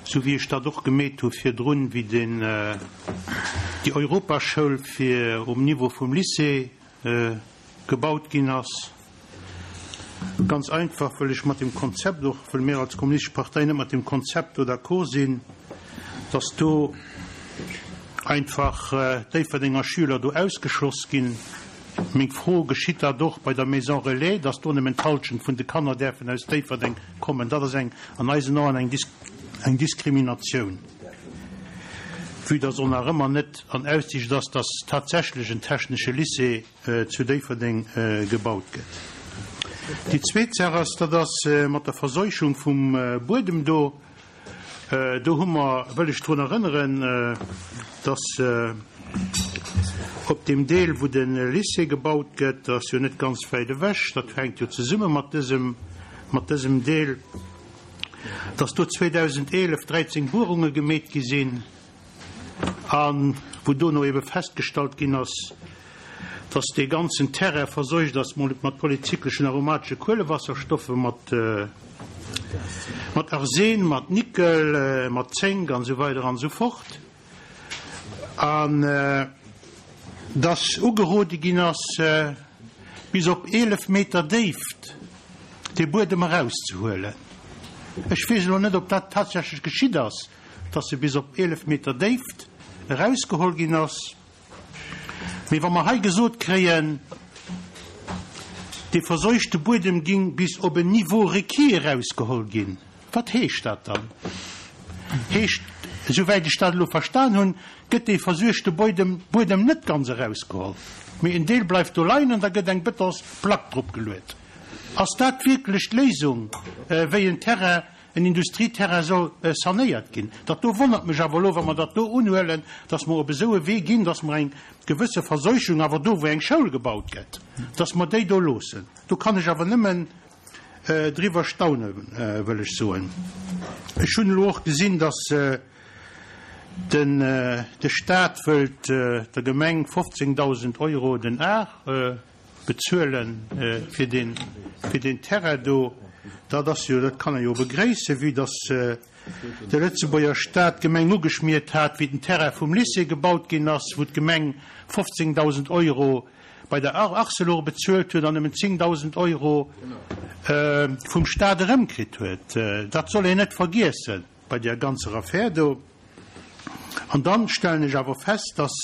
sou wéi ech dat och gemeet hu virdrun, wéi den, déi Europaschoul fir um Niveau vum Lycée gebaut ginn ass. Ganz einfach, wëll ech mat dem Konzept och, wëll mir als Kommunistesch Partei net mat dem Konzept do d'accord sinn, dass do einfach Déifferdenger Schüler do ausgeschloss ginn. Meng Fro, Geschitt dat och bei der Maison Relais, dass do nëmmen d'Halschent vun de Kanner däerfen aus Déifferdeng kommen? Dat ass eng, an eisen Aen eng, eng Diskriminatioun, vue dass och nach ëmmer net an Aussicht ass, dass tatsächlech en technesche Lycée zu Déifferdeng gebaut gëtt. Déi zweet Saach ass, dat ass mat der Verseuchung vum Buedem do. Do hu mer, wëll ech drun erënneren, dass op deem Deel, wou de Lycée gebaut gëtt, dat ass jo net ganz wäit ewech, dat hänkt jo zesumme mat dësem, mat dësem Deel, dass do 2011 13 Buerunge gemeet gi sinn. A wou dono ebe festgestallt ginn ass, dass dee ganzen Terrain verseucht ass mat polyzykleschen aromatesche Kuelewasserstoffe, mat Arsen, mat Nickel, mat Zénk an esou weider an esou fort, an dass ugerode ginn ass, bis op 11 Meter Déift dee Buedem erauszehuelen. Ech weess elo net, ob dat tatsächlech geschitt ass. dass se bis op 11 Meter Déift erausgeholl ginn ass. Mee wa mer hei gesot kréien, dee verseuchte Buedem ging bis op en Niveau requis erausgeholl ginn, wat heescht dat dann? Heescht, esouwäit ech dat elo verstan hunn, gëtt dee versuergte Buedem Buedem net ganz erausgeholl, mee en Deel bleift do leien an da gëtt eng Betonsplack drop geluet. Ass dat wierklech d'Léisung, wéi en Terrain en Industrieterrain soll sanéiert ginn. Dat do wonnert mech awer elo, wa mer dat do unhuelen, dass mer op esou e Wee ginn, dass mer eng gewësse Verseuchung awer do, wou eng Schoul gebaut gëtt, dass mer déi do loossen. Do kann ech awer nëmmen driwwer staunen, wëll ech soen. Ech hunn elo och gesinn, dass den de Stat wëllt der Gemeng 15.000 Euro den Ar Bezuele fir deen, fir deen Terrain do, dat ass jo, dat kann ee jo begréissen, vue dass de Lëtzebuerger Stat d'Gemeng ugeschmiert hat, wéi den Terrain vum Lycée gebaut ginn ass, wou d'Gemeng 15.000 Euro bei der Arcelor bezuelt huet an nëmmen 10.000 Euro vum Stat erëmkritt huet. Dat soll een net vergiessen bei där ganzer Affär do. An dann stellen ech awer fest, dass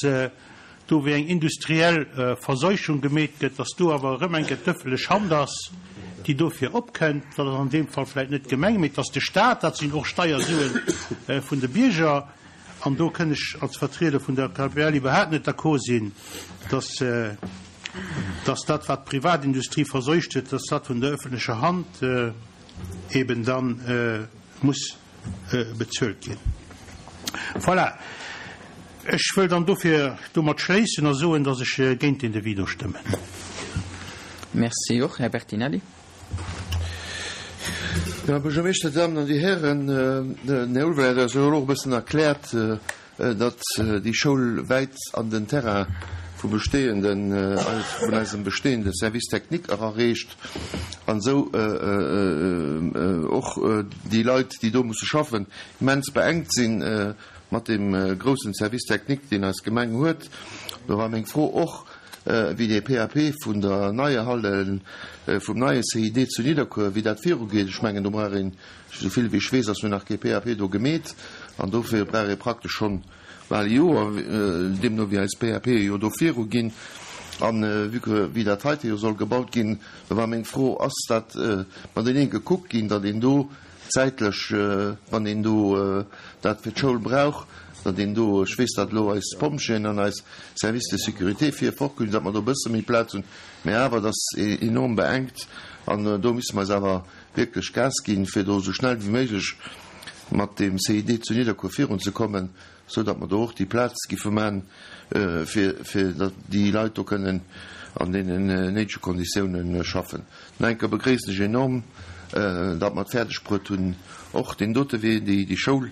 do wéi eng industriell Verseuchung gemeet gëtt, dass do awer erëm eng Kéier d'ëffentlech Hand ass, déi dofir opkënnt. Dat ass an deem Fall vläicht net d'Gemeng, mee et ass de Stat. Dat sinn och Steiersue vun de Bierger. An do kënn ech als Vertrieder vun der KPL iwwerhaapt net d'accord sinn, dass, dass dat, wat d'Privatindustrie verseucht huet, dass dat vun der öffentlecher Hand eben dann muss bezuelt ginn. Voilà. Ech wëll dann dofir domat schléissen a soen, dass ech géint deen Devis do stëmmen. Merci och. Här Bertinelli. Här Buergermeeschter, Dir Dammen an Dir Hären, den Här Ulveling huet eis jo elo och e bëssen erkläert, datt déi Schoul wäit an den Terrain vu bestehenden, vun eisem bestehende Service technique erareecht an esou och déi Leit, déi do musse schaffen, immens beengt si mat deem groussen Service technique, deen eis Gemeng huet. Do war meng Fro och, wéi dee PAP vun der neier Halle, vum neie CID zu Nidderkuer, wéi dat virugeet. Ech mengen, do brauch een Esou vill wéi ech weess, ass jo nach kee PAP do gemeet an dofir brauch ee praktesch schonn bal e Joer, deemno wéi eis PAPe jo do viru ginn. An vue que wéi dat heite jo soll gebaut ginn, do war meng Fro, Ass dat matenee gekuckt ginn, datt een do zäitlech, wann een do dat fir d'Schoul brauch, datt een do, ech weess, datt elo eis Pompjeeën an eis Services de sécurité vir fort hunn, datt mer do e bësse méi Plaz hunn, mä awer, et ass enorm beengt an do misse mer eis awer wierklech Gas ginn, fir do esou schnell wéi méiglech mat deem CID zu Nidderkuer virunzekommen, esou datt mer do och déi Plaz giffe man, fir fir datt déi Leit do kënnen an deenen néidege Konditiounen schaffen. Nach eng Kéier begréissen ech enorm, datt mer et fäerdeg bruet hunn, och deen dote Wee, déi déi Schoul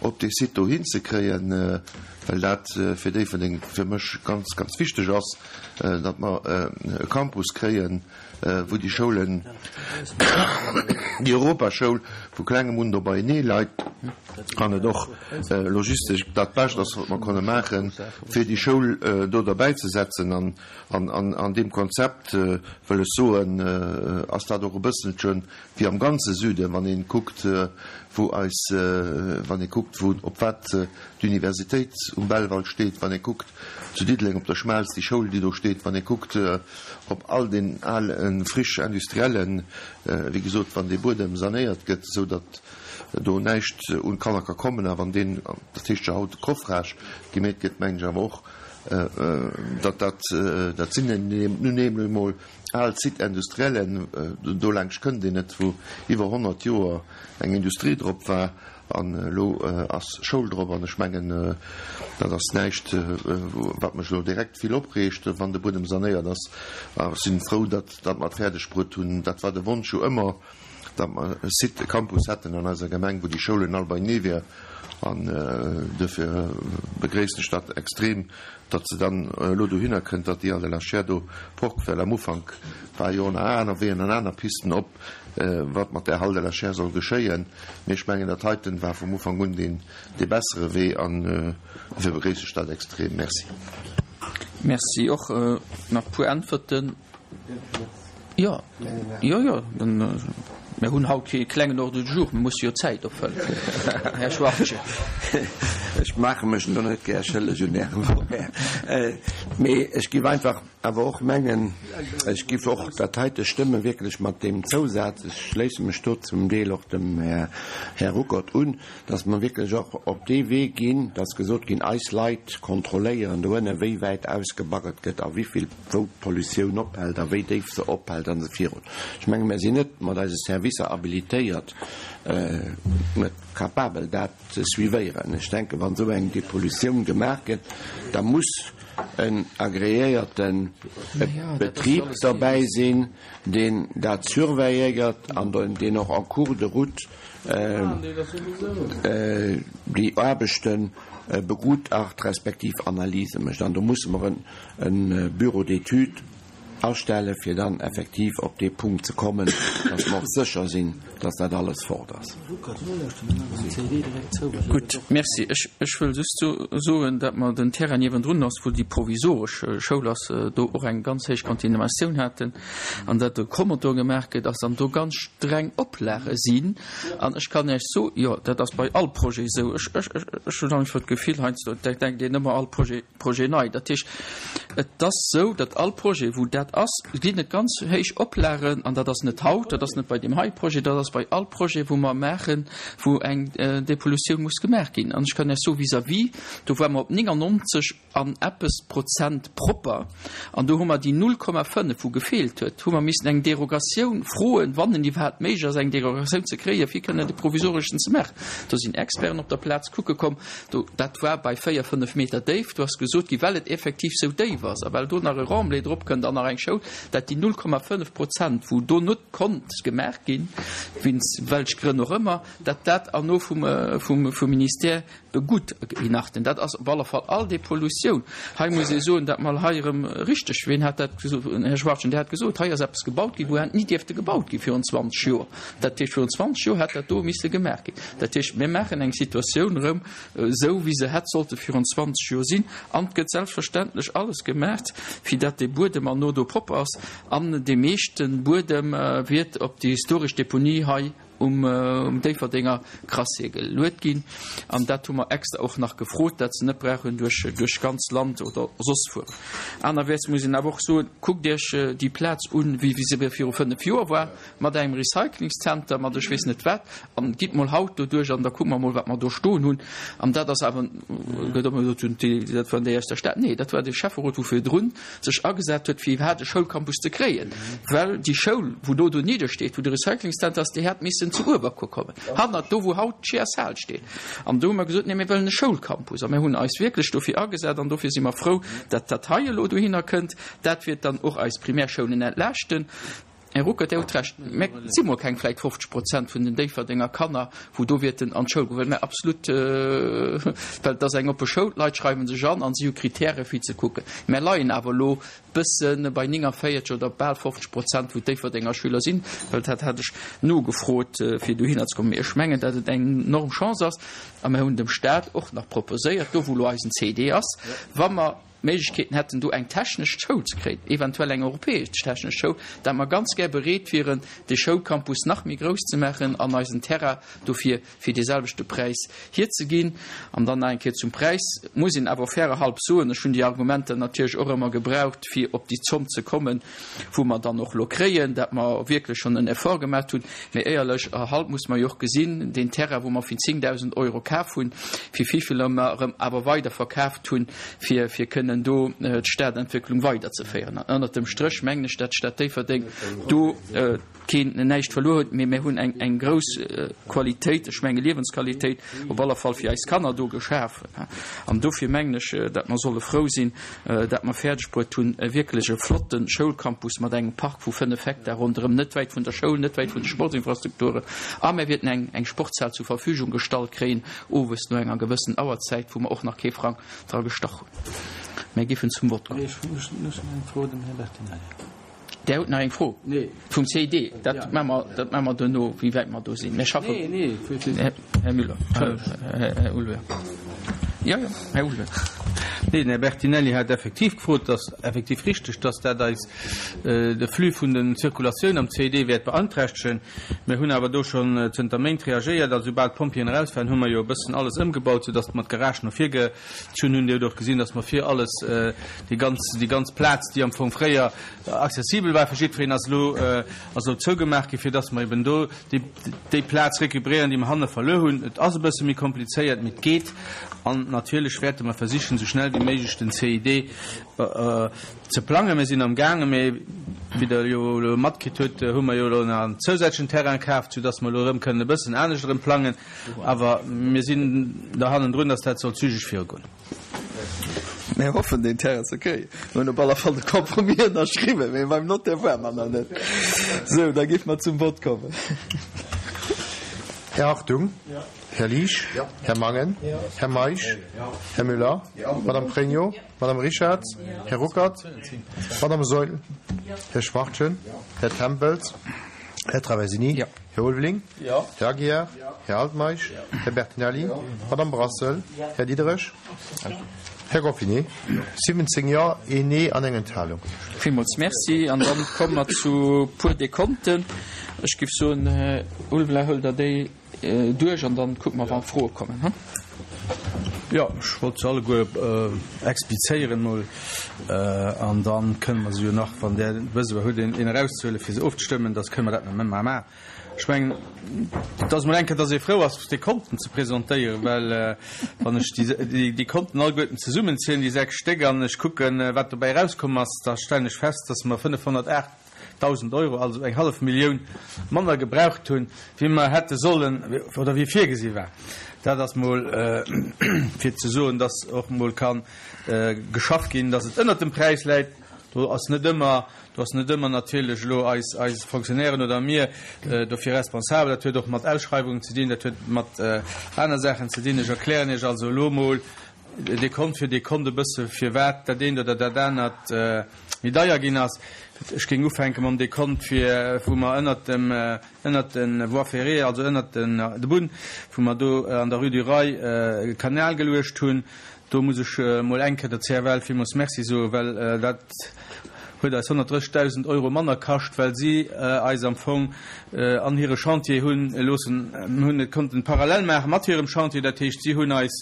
op dee Site do hinzekréien. well dat fir Déifferdeng fir mech ganz, ganz wichteg ass, datt mer e Campus kréien, wou déi Schoulen, déi Europaschoul vu klengem un do beienee leit an et och logistesch dat Bescht ass, wat mer konne maachen, fir déi Schoul do derbäi ze setzen. An an deem Konzept, wëll ech soen, ass dat och e bësselche wéi am ganze Süden, wann ee kuckt, wou eis, wann ee kuckt, wou, op wat d'Universitéit um Belval steet, wann ee kuckt zu Diddeleng op der Schmelz, déi Schoul, déi do steet, wann ee kuckt op all den ale Friches industriellen, wéi gesot, wann dee Buedem sanéiert gëtt, esou datt do näischt un d'Kanner ka kommen, a wann deen, dat heescht jo haut Coffrage, gemeet gëtt, mengen ech awer och, datt dat, dat sinn nun emol Al Site industriellen, dolaanscht kënnt een net, wou iwwer 100 Joer eng Industrie drop war an elo ass Schoul drop. An ech mengen, dat ass näischt, wat mech elo direkt vill opreegt, wann de Buedem sanéiert ass. A ech si frou, datt mer et fäerdeg bruet hunn. Dat war de Wonsch jo ëmmer, datt mer e Site, e Campus hätten an eiser Gemeng, wou déi Schoulen all beienee wier. An duerfir begréissen ech dat extrem, datt se dann elo dohinner kënnt, datt déi Halle de la Chaire do fort, well am Ufank war jo nach aner Weeën an aner Pisten op, wat mat där Halle de la Chaire soll geschéien. Mee ech mengen, dat heiten war vum Ufank un deen dee bessere Wee an dofir begréiss ech dat extrem. Merci. Merci och. Nach e puer Äntwerten. Jo, jo, jo, mir hunn haut kee klengen Ordre du jour, mir musse jo d'Zäit opfëllen. Här Schwachtgen. Ech maache mech elo net gär schëlleg un Ärem Horaire, mee ech géif einfach awer och mengen, ech géif och dat heite stëmme wierklech mat deem Zousaz, ech schléisse mech do zum Deel och dem Här Ruckert un, dass mer wierklech och op dee Wee ginn, dass gesot ginn, eis Leit kontrolléieren dohënne wéi wäit ausgebaggert gëtt a wéi vill wou d'Pollutioun ophält a wéi déif se ophält an esou virun. Ech menge mir sinn net mat eise Servicer habilitéiert, net capabel dat ze suivéieren. Ech denken, wann esou eng Depollutioun gemaach gëtt, da muss en agreéierte Betrib derbäi sinn, deen dat surveilléiert an deen och en cours de route déi Aarbechte begutacht respektiv Analyse mécht. An do musse mer e Bureau d'études astelle fir dann effektiv op dee Punkt ze kommen, dass mer och sécher sinn, dass dat alles fort ass. Gutt, merci. Ech wëll just soen, datt mer den Terrain niewendrun ass, wou déi provisoresch Schoul ass, do och eng ganz héich Kontaminatioun haten an datt e Promotor gemaach gëtt ass an do ganz streng Oplage sinn. An ech kann Iech soen, jo, dat ass bei all Projet esou, ech hunn einfach d'Gefill heiansdo, da denkt een ëmmer all Projet, Projet nei. Dat heescht, et ass esou, datt all Projet, wou dat ass, ginn et ganz héich Oplagen, an dat ass net haut, dat ass net bei deem hei Projet, dat ass bei all Projet, wou mer maachen, wou eng Depollutioun muss gemaach ginn. An ech kann Iech soen, vis-à-vis, do ware mer op 99 an eppes Prozent propper, an do hu mer déi 0,5, wou gefeelt huet, hu mer missen eng Derogatioun froen, wann en iwwerhaapt méiglech ass, eng Derogatioun ze kréien, fir kënnen de provisoreschen ze maachen. Do sinn Experten op der Plaz kucke komm. Do, dat war bei 4, 5 Meter Déift. Do ass gesot ginn, well et effektiv sou déif ass a well do nach e Remblai drop kënnt an nach eng Schoul, dat déi 0,5 Prozent, wou do net konnt gemaach ginn, wéinst welch Grënn och ëmmer, dat dat erno vum, vum, vum Ministère begutachten. Dat ass op alle Fall all déi Pollutioun. Hei muss ee soen, dat mer hei erëm richteg, wien hat dat gesot, Här Schwachtgen, Dir hat gesot, hei ass eppes gebaut ginn, wou hätt ni dierfte gebaut gi virun 20 Joer. Dat heescht, virun 20 Joer hätt dat do misse gemaach ginn. Dat heescht, mir maachen eng Situatioun erëm esou, wéi se hätt sollte virun 20 Joer sinn. An et gëtt selbstverständlech alles gemaach, fir datt dee Buedem herno do propper ass. An dee meeschte Buedem wiert op déi historesch Deponie hei um Déifferdenger Crassier geluet ginn. An dat hu mer extra och nach gefrot, datt se net brauchen duerch duerch ganz Land oder soss fueren. Anerwäerts muss een awer och soen, kuckt Iech déi Plaz un, wéi se viru 5 Joer war. mat engem Recyclingszenter, mat ech weess net wat, an gitt mol haut doduerch an da kucke mer mol, wat mer do stoen hunn. An dat ass awer, gëtt ëmmer gesot, dat waren déi aus der Stad. Nee, dat war de Schäfferot, wou virdrun sech agesat huet, fir iwwerhaapt e Schoulcampus ze kréien, well déi Schoul, wou do donidder steet, wou de Recyclingszenter ass, déi hätt missen zu Uewerkuer kommen, hannert do, wou haut d'Chiers-Hal steet. An do hu mer gesot, nee, mir wëllen e Schoulcampus. A mir hunn eis wierklech dofir agesat an dofir si mer frou, datt dat hei elo dohinner kënnt. Dat wäert dann och eis Primärschoulen entlaaschten. Här Ruckert, Dir hutt Recht, mä et si mol keng vläicht 50 Prozent vun den Déifferdenger Kanner, wou do wäerten an d'Schoul goen, well mä absolut, well et ass eng oppe Schoul, d'Leit schreiwe sech an an si hu Kritäre fir ze kucken. Mä leien awer elo bësse bei 49 oder bal 50 Prozent, wou d'Déifferdenger Schüler sinn, well dat hat ech nogefrot, fir dohinner ze kommen. Mee ech mengen, datt et eng enorm Chance ass a mer hunn dem Stat och nach proposéiert, do wou elo eisen CD ass, wa mer, Méiglechkeeten hätten, do eng technesch Schoul ze kréien, eventuell eng europäesch technesch Schoul, dat mer ganz gär bereet wieren, dee Schoulcampus nach méi grouss ze maachen an eisen Terrain dofir fir dee selwechte Präis hierzeginn. An dann nach eng Kéier zum Präis, muss een awer fairerhalb soen, ech hunn déi Argumenter natierlech och ëmmer gebraucht, fir op déi Zomm ze kommen, wou mer dann och elo kréien, dat mer wierklech schonn en Effort gemaat hunn. Mee éierlech erhalb muss mer jo och gesinn, deen Terrain, wou mer fir 10.000 Euro kaf hunn, fir wéivill mer erëm awer weider verkaaft hunn, fir fir kënnen do d'Stadentwécklung weiderzeféieren. An ënnert dem Stréch mengen ech, dat d'Stad Déifferdeng do keen näischt verluer huet, mee mir hunn eng eng grouss Qualitéit, ech menge Liewensqualitéit op aller Fall fir eis Kanner do geschafen. An dofir mengen ech, dat mer solle frou sinn, dat mer fäerdeg bruet hunn, e wierklech e flotte Schoulcampus mat engem Park vu 5 Hektar ronderëm, net wäit vun der Schoul, net wäit vun de Sportsinfrastrukturen, a mir wäerten eng eng Sportshal zur Verfügung gestallt kréien, owes no enger gewëssen Auerzäit, wou mer och nach kee Frang dra gestach hunn. Mir géifen zum Vott kommen. Där hutt nach eng Fro vum CID. Dat maache mer, dat maache mer duerno, wéi wäit mer do sinn. Mir schaffen. Här Müller, Här Ulveling. Jo, jo, Här Ulveling. Nee, den Här Bertinelli hat effektiv gefrot. Et ass effektiv richtig, dass dat eis de Flux vun den Zirkulatioun am CID wäert beanträchtegen. Mir hunn awer do schonn zënter Méint reagéiert. Also soubal d'Pompjeeën eraus waren, hu mer jo e bëssen alles ëmgebaut, soudass mer d'Garage no vir gezunn hunn. Dir hutt och gesinn, dass mer vir alles, déi ganz, déi ganz Plaz, déi am Fong fréier accessibel war fir jiddwereen, ass elo, ass elo zougemaach ginn, fir dass mer eben do déi, déi Plaz récupéréieren, déi mer hanne verluer hunn. Et ass e bësse méi komplizéiert, mee et geet. An natierlech wäerte mer versichen, esou schnell wéi méiglech den CID ze plangen. Mir sinn amgaangen, mee wéi Der jo elo matkritt hutt, hu mer jo elo nach en zousätzlechen Terrain kaaft, soudass mer elo erëm kënnen e bëssen anescht erëm plangen. Awer mir sinn der hannendrun, dass dat soll zügeg virugoen. Mir hoffen, deen Terrain ze kréien. Mir hunn op aller Fall de Compromis ënnerschriwwen, mee beim Notaire ware mer nach net. Sou, da géife mer zum Vott kommen. Här Hartung? Här Liesch? Här Mangen? Här Meisch? Här Müller? Madame Pregno? Madame Richarz? Här Ruckert? Madame Saeul? Här Schwachtgen? Här Tempels? Här Traversini? Här Ulveling? Här Aguiar? Här Altmeisch? Här Bertinelli? Madame Brassel? Här Diderich? Här Goffinet? 17 Jo, een Nee an eng Enthalung. Villmools Merci. An dann komme mer zu puer Dekonten. Ech géif soen, Här Ulveling, huelt Der déi duerch an dann kucke mer, wa Froe kommen. Jo, ech wollt se alleguer explizéieren emol an da kënne mer se jo nach, wann Der Besoin hutt, een erauszehuelen, fir se ofzestëmmen, da kënne mer dat nach maachen. Ech mengen, et ass emol eng Kéier, dass ee frou ass, déi Konten ze presentéieren, well wann ech déi Konten alleguerten zesummenzielen, déi 6 Stéck, an ech kucken, wat dobäi erauskomm ass, da stellen ech fest, dass mer 508.000 Euro, also eng hallef Millioun manner gebraucht hunn, wéi mer hätte sollen oder wéi virgesi war. Dat ass mol fir ze soen, dass och mol ka geschafft ginn, dass et ënnert dem Präis läit. Do ass net ëmmer, do ass net ëmmer natierlech elo eis, eis Fonctionnairen oder mir dofir responsabel. Dat huet och mat Ausschreiwungen ze dinn, dat huet mat aner Saachen ze dinn. Ech erklären Iech also elo emol Dekont fir Dekont e bësse firwat dat eent oder dat anert méi deier ginn ass. Ech géing ufänke mam Dekont fir, wou mer ënnert dem, ënnert de Voies ferrées, also ënnert den, de Bunn, wou mer do an der Rue du Rail e Kanal geluecht hunn. Do muss ech emol eng Kéier der CFL villmools Merci soen, well dat huet eis 130.000 Euro manner kascht, well si eis am Fong an hire Chantier hunn loossen, hunn et konnten parallel maache mat hirem Chantier. Dat heescht, si hunn eis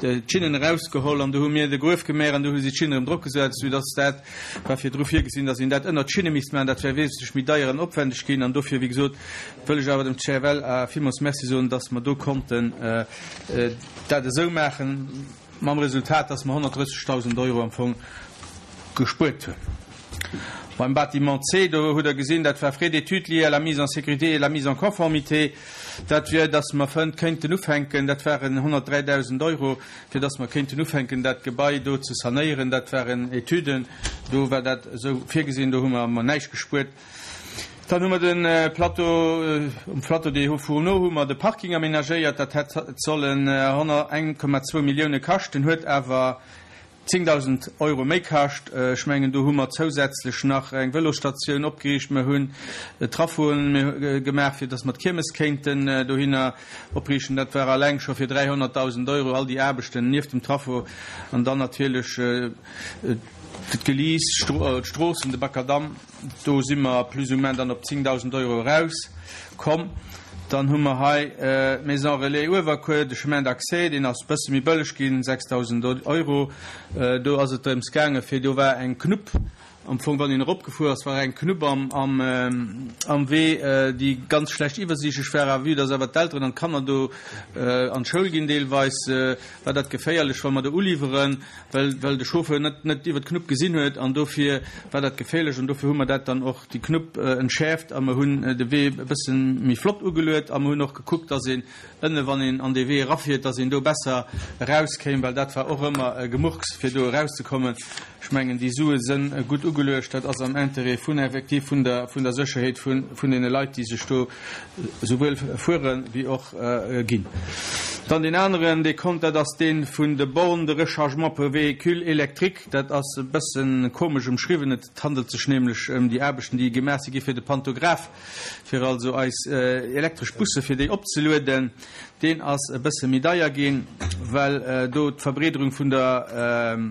d'Schinnen erausgeholl an du hu mir de Gruef gemaach an du hu si d'Schinnen erëm drop gesat, soudass dat war virdru virgesinn, dass een dat ënnert d'Schinne misst maachen. Dat wär wesentlech méi deier an opwändeg ginn an dofir, wéi gesot, wëll ech awer dem CFL villmools Merci soen, dass mer do konnten dat esou maachen, mam Resultat, dass mer 130.000 Euro am Fong gespuert hunn. Beim Bâtiment C, do hutt Der gesinn, dat war Frais d'études liés à la mise en sécurité et la mise en conformité, dat wier, dass mer fënnt kéinten ufänken, dat waren 103.000 Euro, fir dass mer kéinten ufänken, dat Gebai do ze sanéieren. Dat waren Etüden, do war dat esou virgesinn, do hu mer näischt gespuert. Dann hu mer de Plateau, um Plateau des Hauts Fourneaux hu mer de Parking aménagéiert. Dat hätt sollen 1,2 Millioune kaschten, huet awer 10.000 Euro méi kascht. Ech mengen, do hu mer zousätzlech nach eng Vëlosstatioun opgeriicht. Mer hunn Trafoen gemaach, fir datt mer d'Kiermes kéinten dohinner opriichten. Dat war alleng scho fir 300.000 Euro, all déi Aarbechten nieft dem Trafo an dann natierlech d'Geliiss, d'Stroossen, de Makadamm. Do si mer plus ou moins dann op 10.000 Euro eraus komm. Dann hu mer hei d'Maison Relais Uewerkuer, de Chemin d'accès, deen ass e bësse méi bëlleg ginn, 6.000 Euro. Do ass et drëms gaange fir, do war eng Knupp am Fong, wann een eropgefuer ass, war eng Knupp am Wee, déi ganz schlecht iwwersiichtlech war. A vue dass awer d'Elteren an d'Kanner do an d'Schoul ginn deelweis, war dat geféierlech, wa mer do uliwweren. well well de Chauffeur net net iwwer d'Knupp gesinn huet an dofir war dat geféierlech an dofir hu mer dat dann och déi Knupp entschäerft a mer hunn de Wee e bëssen méi flott ugeluet a mer hunn och gekuckt, dass een ënne wann een an dee Wee erafiert, dass een do besser erauskéim, well dat war och ëmmer e Gemurks fir do erauszekommen. Ech mengen déi Sue sënn gutt ugeluecht, dat ass am Intérêt vun effektiv vun der vun der Sécherheet vun vun deene Leit déi sech do souwuel fuere wéi och ginn. Dann deen aneren Dekont, dat ass dee vun de Bornes de rechargement pour véhicules électriques. Dat ass e bësse komesch ëmschriwwen. Et handelt sech nämlech ëm déi Aarbechten, déi gemaach si gi fir de Pantograph, fir also eis elektresch Busse fir déi opzelueden. Deen ass e bësse méi deier ginn, well do d'Verbreederung vun der,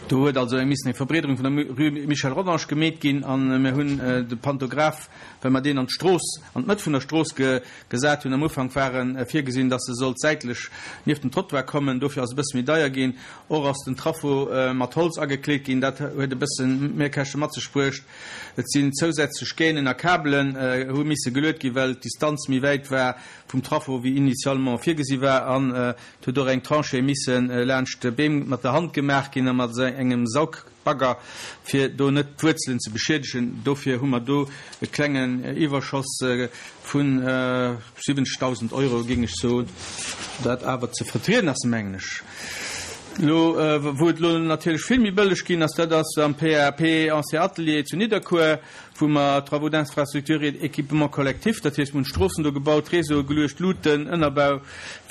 do huet also eng missen eng Verbreederung vun der Rue Michel Rodange gemeet ginn a mir hunn de Pantograph, well mer deen an d'Strooss, an d'Mëtt vun der Strooss gesat hunn. Am Ufank war e virgesinn, dass e sollt säitlech nieft den Trottoir kommen, dofir ass e bësse méi deier ginn. Och ass den Traffo mat Holz agekleet ginn, dat huet e bësse Mehrkäschte mat sech bruecht. Et sinn zousätzlech Gainen a Kabelen hu misse geluet ginn, well d'Distanz méi wäit war vum Traffo wéi initialement virgesi war. An et huet och eng Tranchée misse laanscht Beem mat der Hand gemaach ginn a mat engem Saug. Bagger, fir do net d'Wuerzelen ze beschiedegen. Dofir hu mer do e klengen Iwwerschoss vu 70.000 Euro, géing ech soen, dat awer ze vertrieden ass, mengen ech. Elo, wou et elo natierlech vill méi bëlleg ginn ass, dat ass am PAP Ancien Atelier zu Nidderkuer, wou mer Travaux d'infrastructure et équipement collectif, dat heescht, mir hunn d'Stroossen do gebaut, Réseaue geluecht, Luuten, Ënnerbau,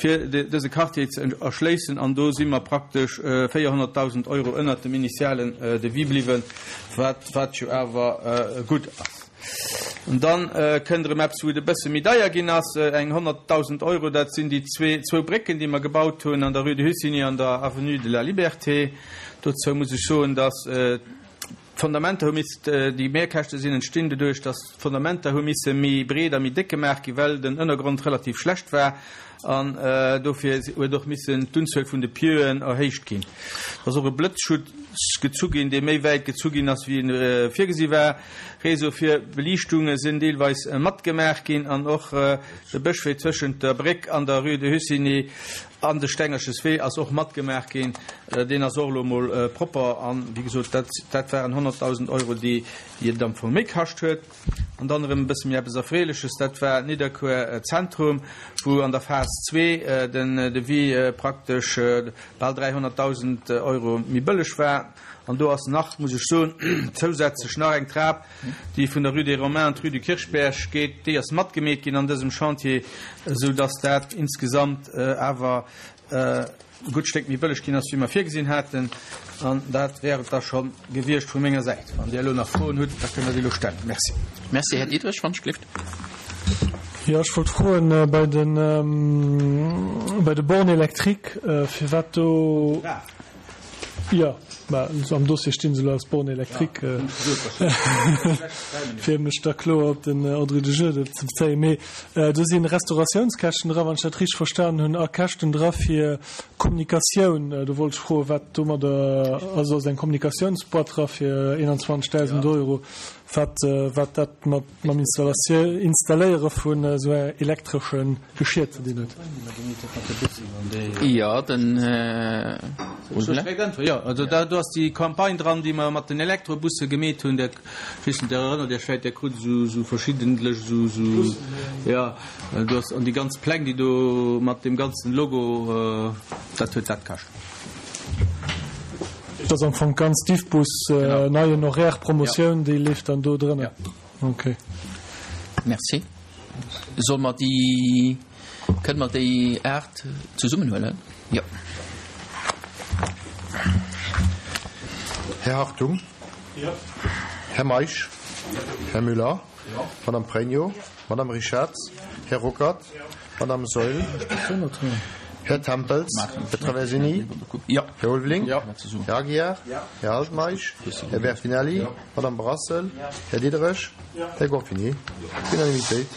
fir dëse Quartier ze erschléissen. An do si mer praktesch 400.000 Euro ënnert dem initialen Devis bliwwen, wat, wat jo awer gutt ass. An da kënnt erëm eppes, wou et e bësse méi deier ginn ass, eng 100.000 Euro, dat sinn déi zwee, zwou Brécken, déi mer gebaut hunn an der Rue de Hussigny an der Avenue de la Liberté. Dozou muss ech soen, dass D'Fondamenter hu misst, déi Mehrkäschte sinn entstinn doduerch, datt d'Fondamenter hu misse méi breet a méi déck gemaach ginn, well den Ënnergrond relativ schlecht war an dofir huet och missen d'Unzuel vun de Pieuen erhéicht ginn. Et ass och e Blëtzschutz gezu ginn, dee méi wäit gezu ginn ass, wéi e virgesi war. Réseau fir Beliichtunge sinn deelweis matgemaach ginn an och de Bëschwee tëschent der Bréck an der Rue de Hussigny An de Stengerches Wee ass och matgemaach ginn. Deen ass och elo emol propper. An, wéi gesot, dat, dat waren 100.000 Euro, déi et am Fong méi kascht huet. An dann erëm e bësse méi eppes Erfreeleches, dat war Nidderkuer Zentrum, wou an der Phas zwee den Devis praktesch bal 300.000 Euro méi bëlleg war. An do ass nach, muss ech soen, zousätzlech nach eng Trap, déi vun der Rue des Romains an d'Rue du Kirchberg geet, déi ass matgemeet ginn an dësem Chantier, esou dass dat insgesamt awer e gutt Stéck méi bëlleg ginn ass, wéi mer virgesinn haten. An dat wär et da scho gewiescht vu menger Säit. Wann Dir elo nach Froen hutt, da kënnt Der déi elo stellen. Merci. Merci, Här Diderich. Wann ech gelift. Jo, ech wollt froen bei de bei de Bornes électriques, firwat do. Jo, mä am Dossier sti se elo als Borne électrique, fir mech da kloer op den Ordre du jour ze bezéien. Mee do si Restauratiounskäschten dra, wann ech dat richteg verstanen hunn, a Käschten dra fir Kommunikatioun. Do wollt ech froen, wat domadder, also ass eng Kommunikatiounsboîte dra fir 21.000 Euro, wat wat dat mat mam Installéiere vun esou elektresche Geschier ze dinn huet. Jo, den Här Ulveling. Jo, also do ass déi Campagne dran, déi mer mat den Elektrobusse gemeet hunn. Dat, ech weess net, Dir erënnert Iech vläicht, Dir krut esou, esou verschiddentlech esou, esou, jo, do ass, an déi ganz Pläng, déi do mat deem ganzen Logo, dat huet dat kascht. Dat ass am Fong d'ganz Diffbus, neien Horaire, Promotioun, déi leeft dann do drënner. Okay. Merci. Solle mer déi, kënne mer déi 8 zesummen huelen? Jo. Här Hartung? Jo. Här Meisch? Här Müller? Madame Pregno? Madame Richarz? Här Ruckert? Madame Saeul? Här Tempels? Här Traversini? Här Ulveling? Här Aguiar? Här Altmeisch? Här Bertinelli? Madame Brassel? Här Diderich? Här Gorfini? Unanimitéit.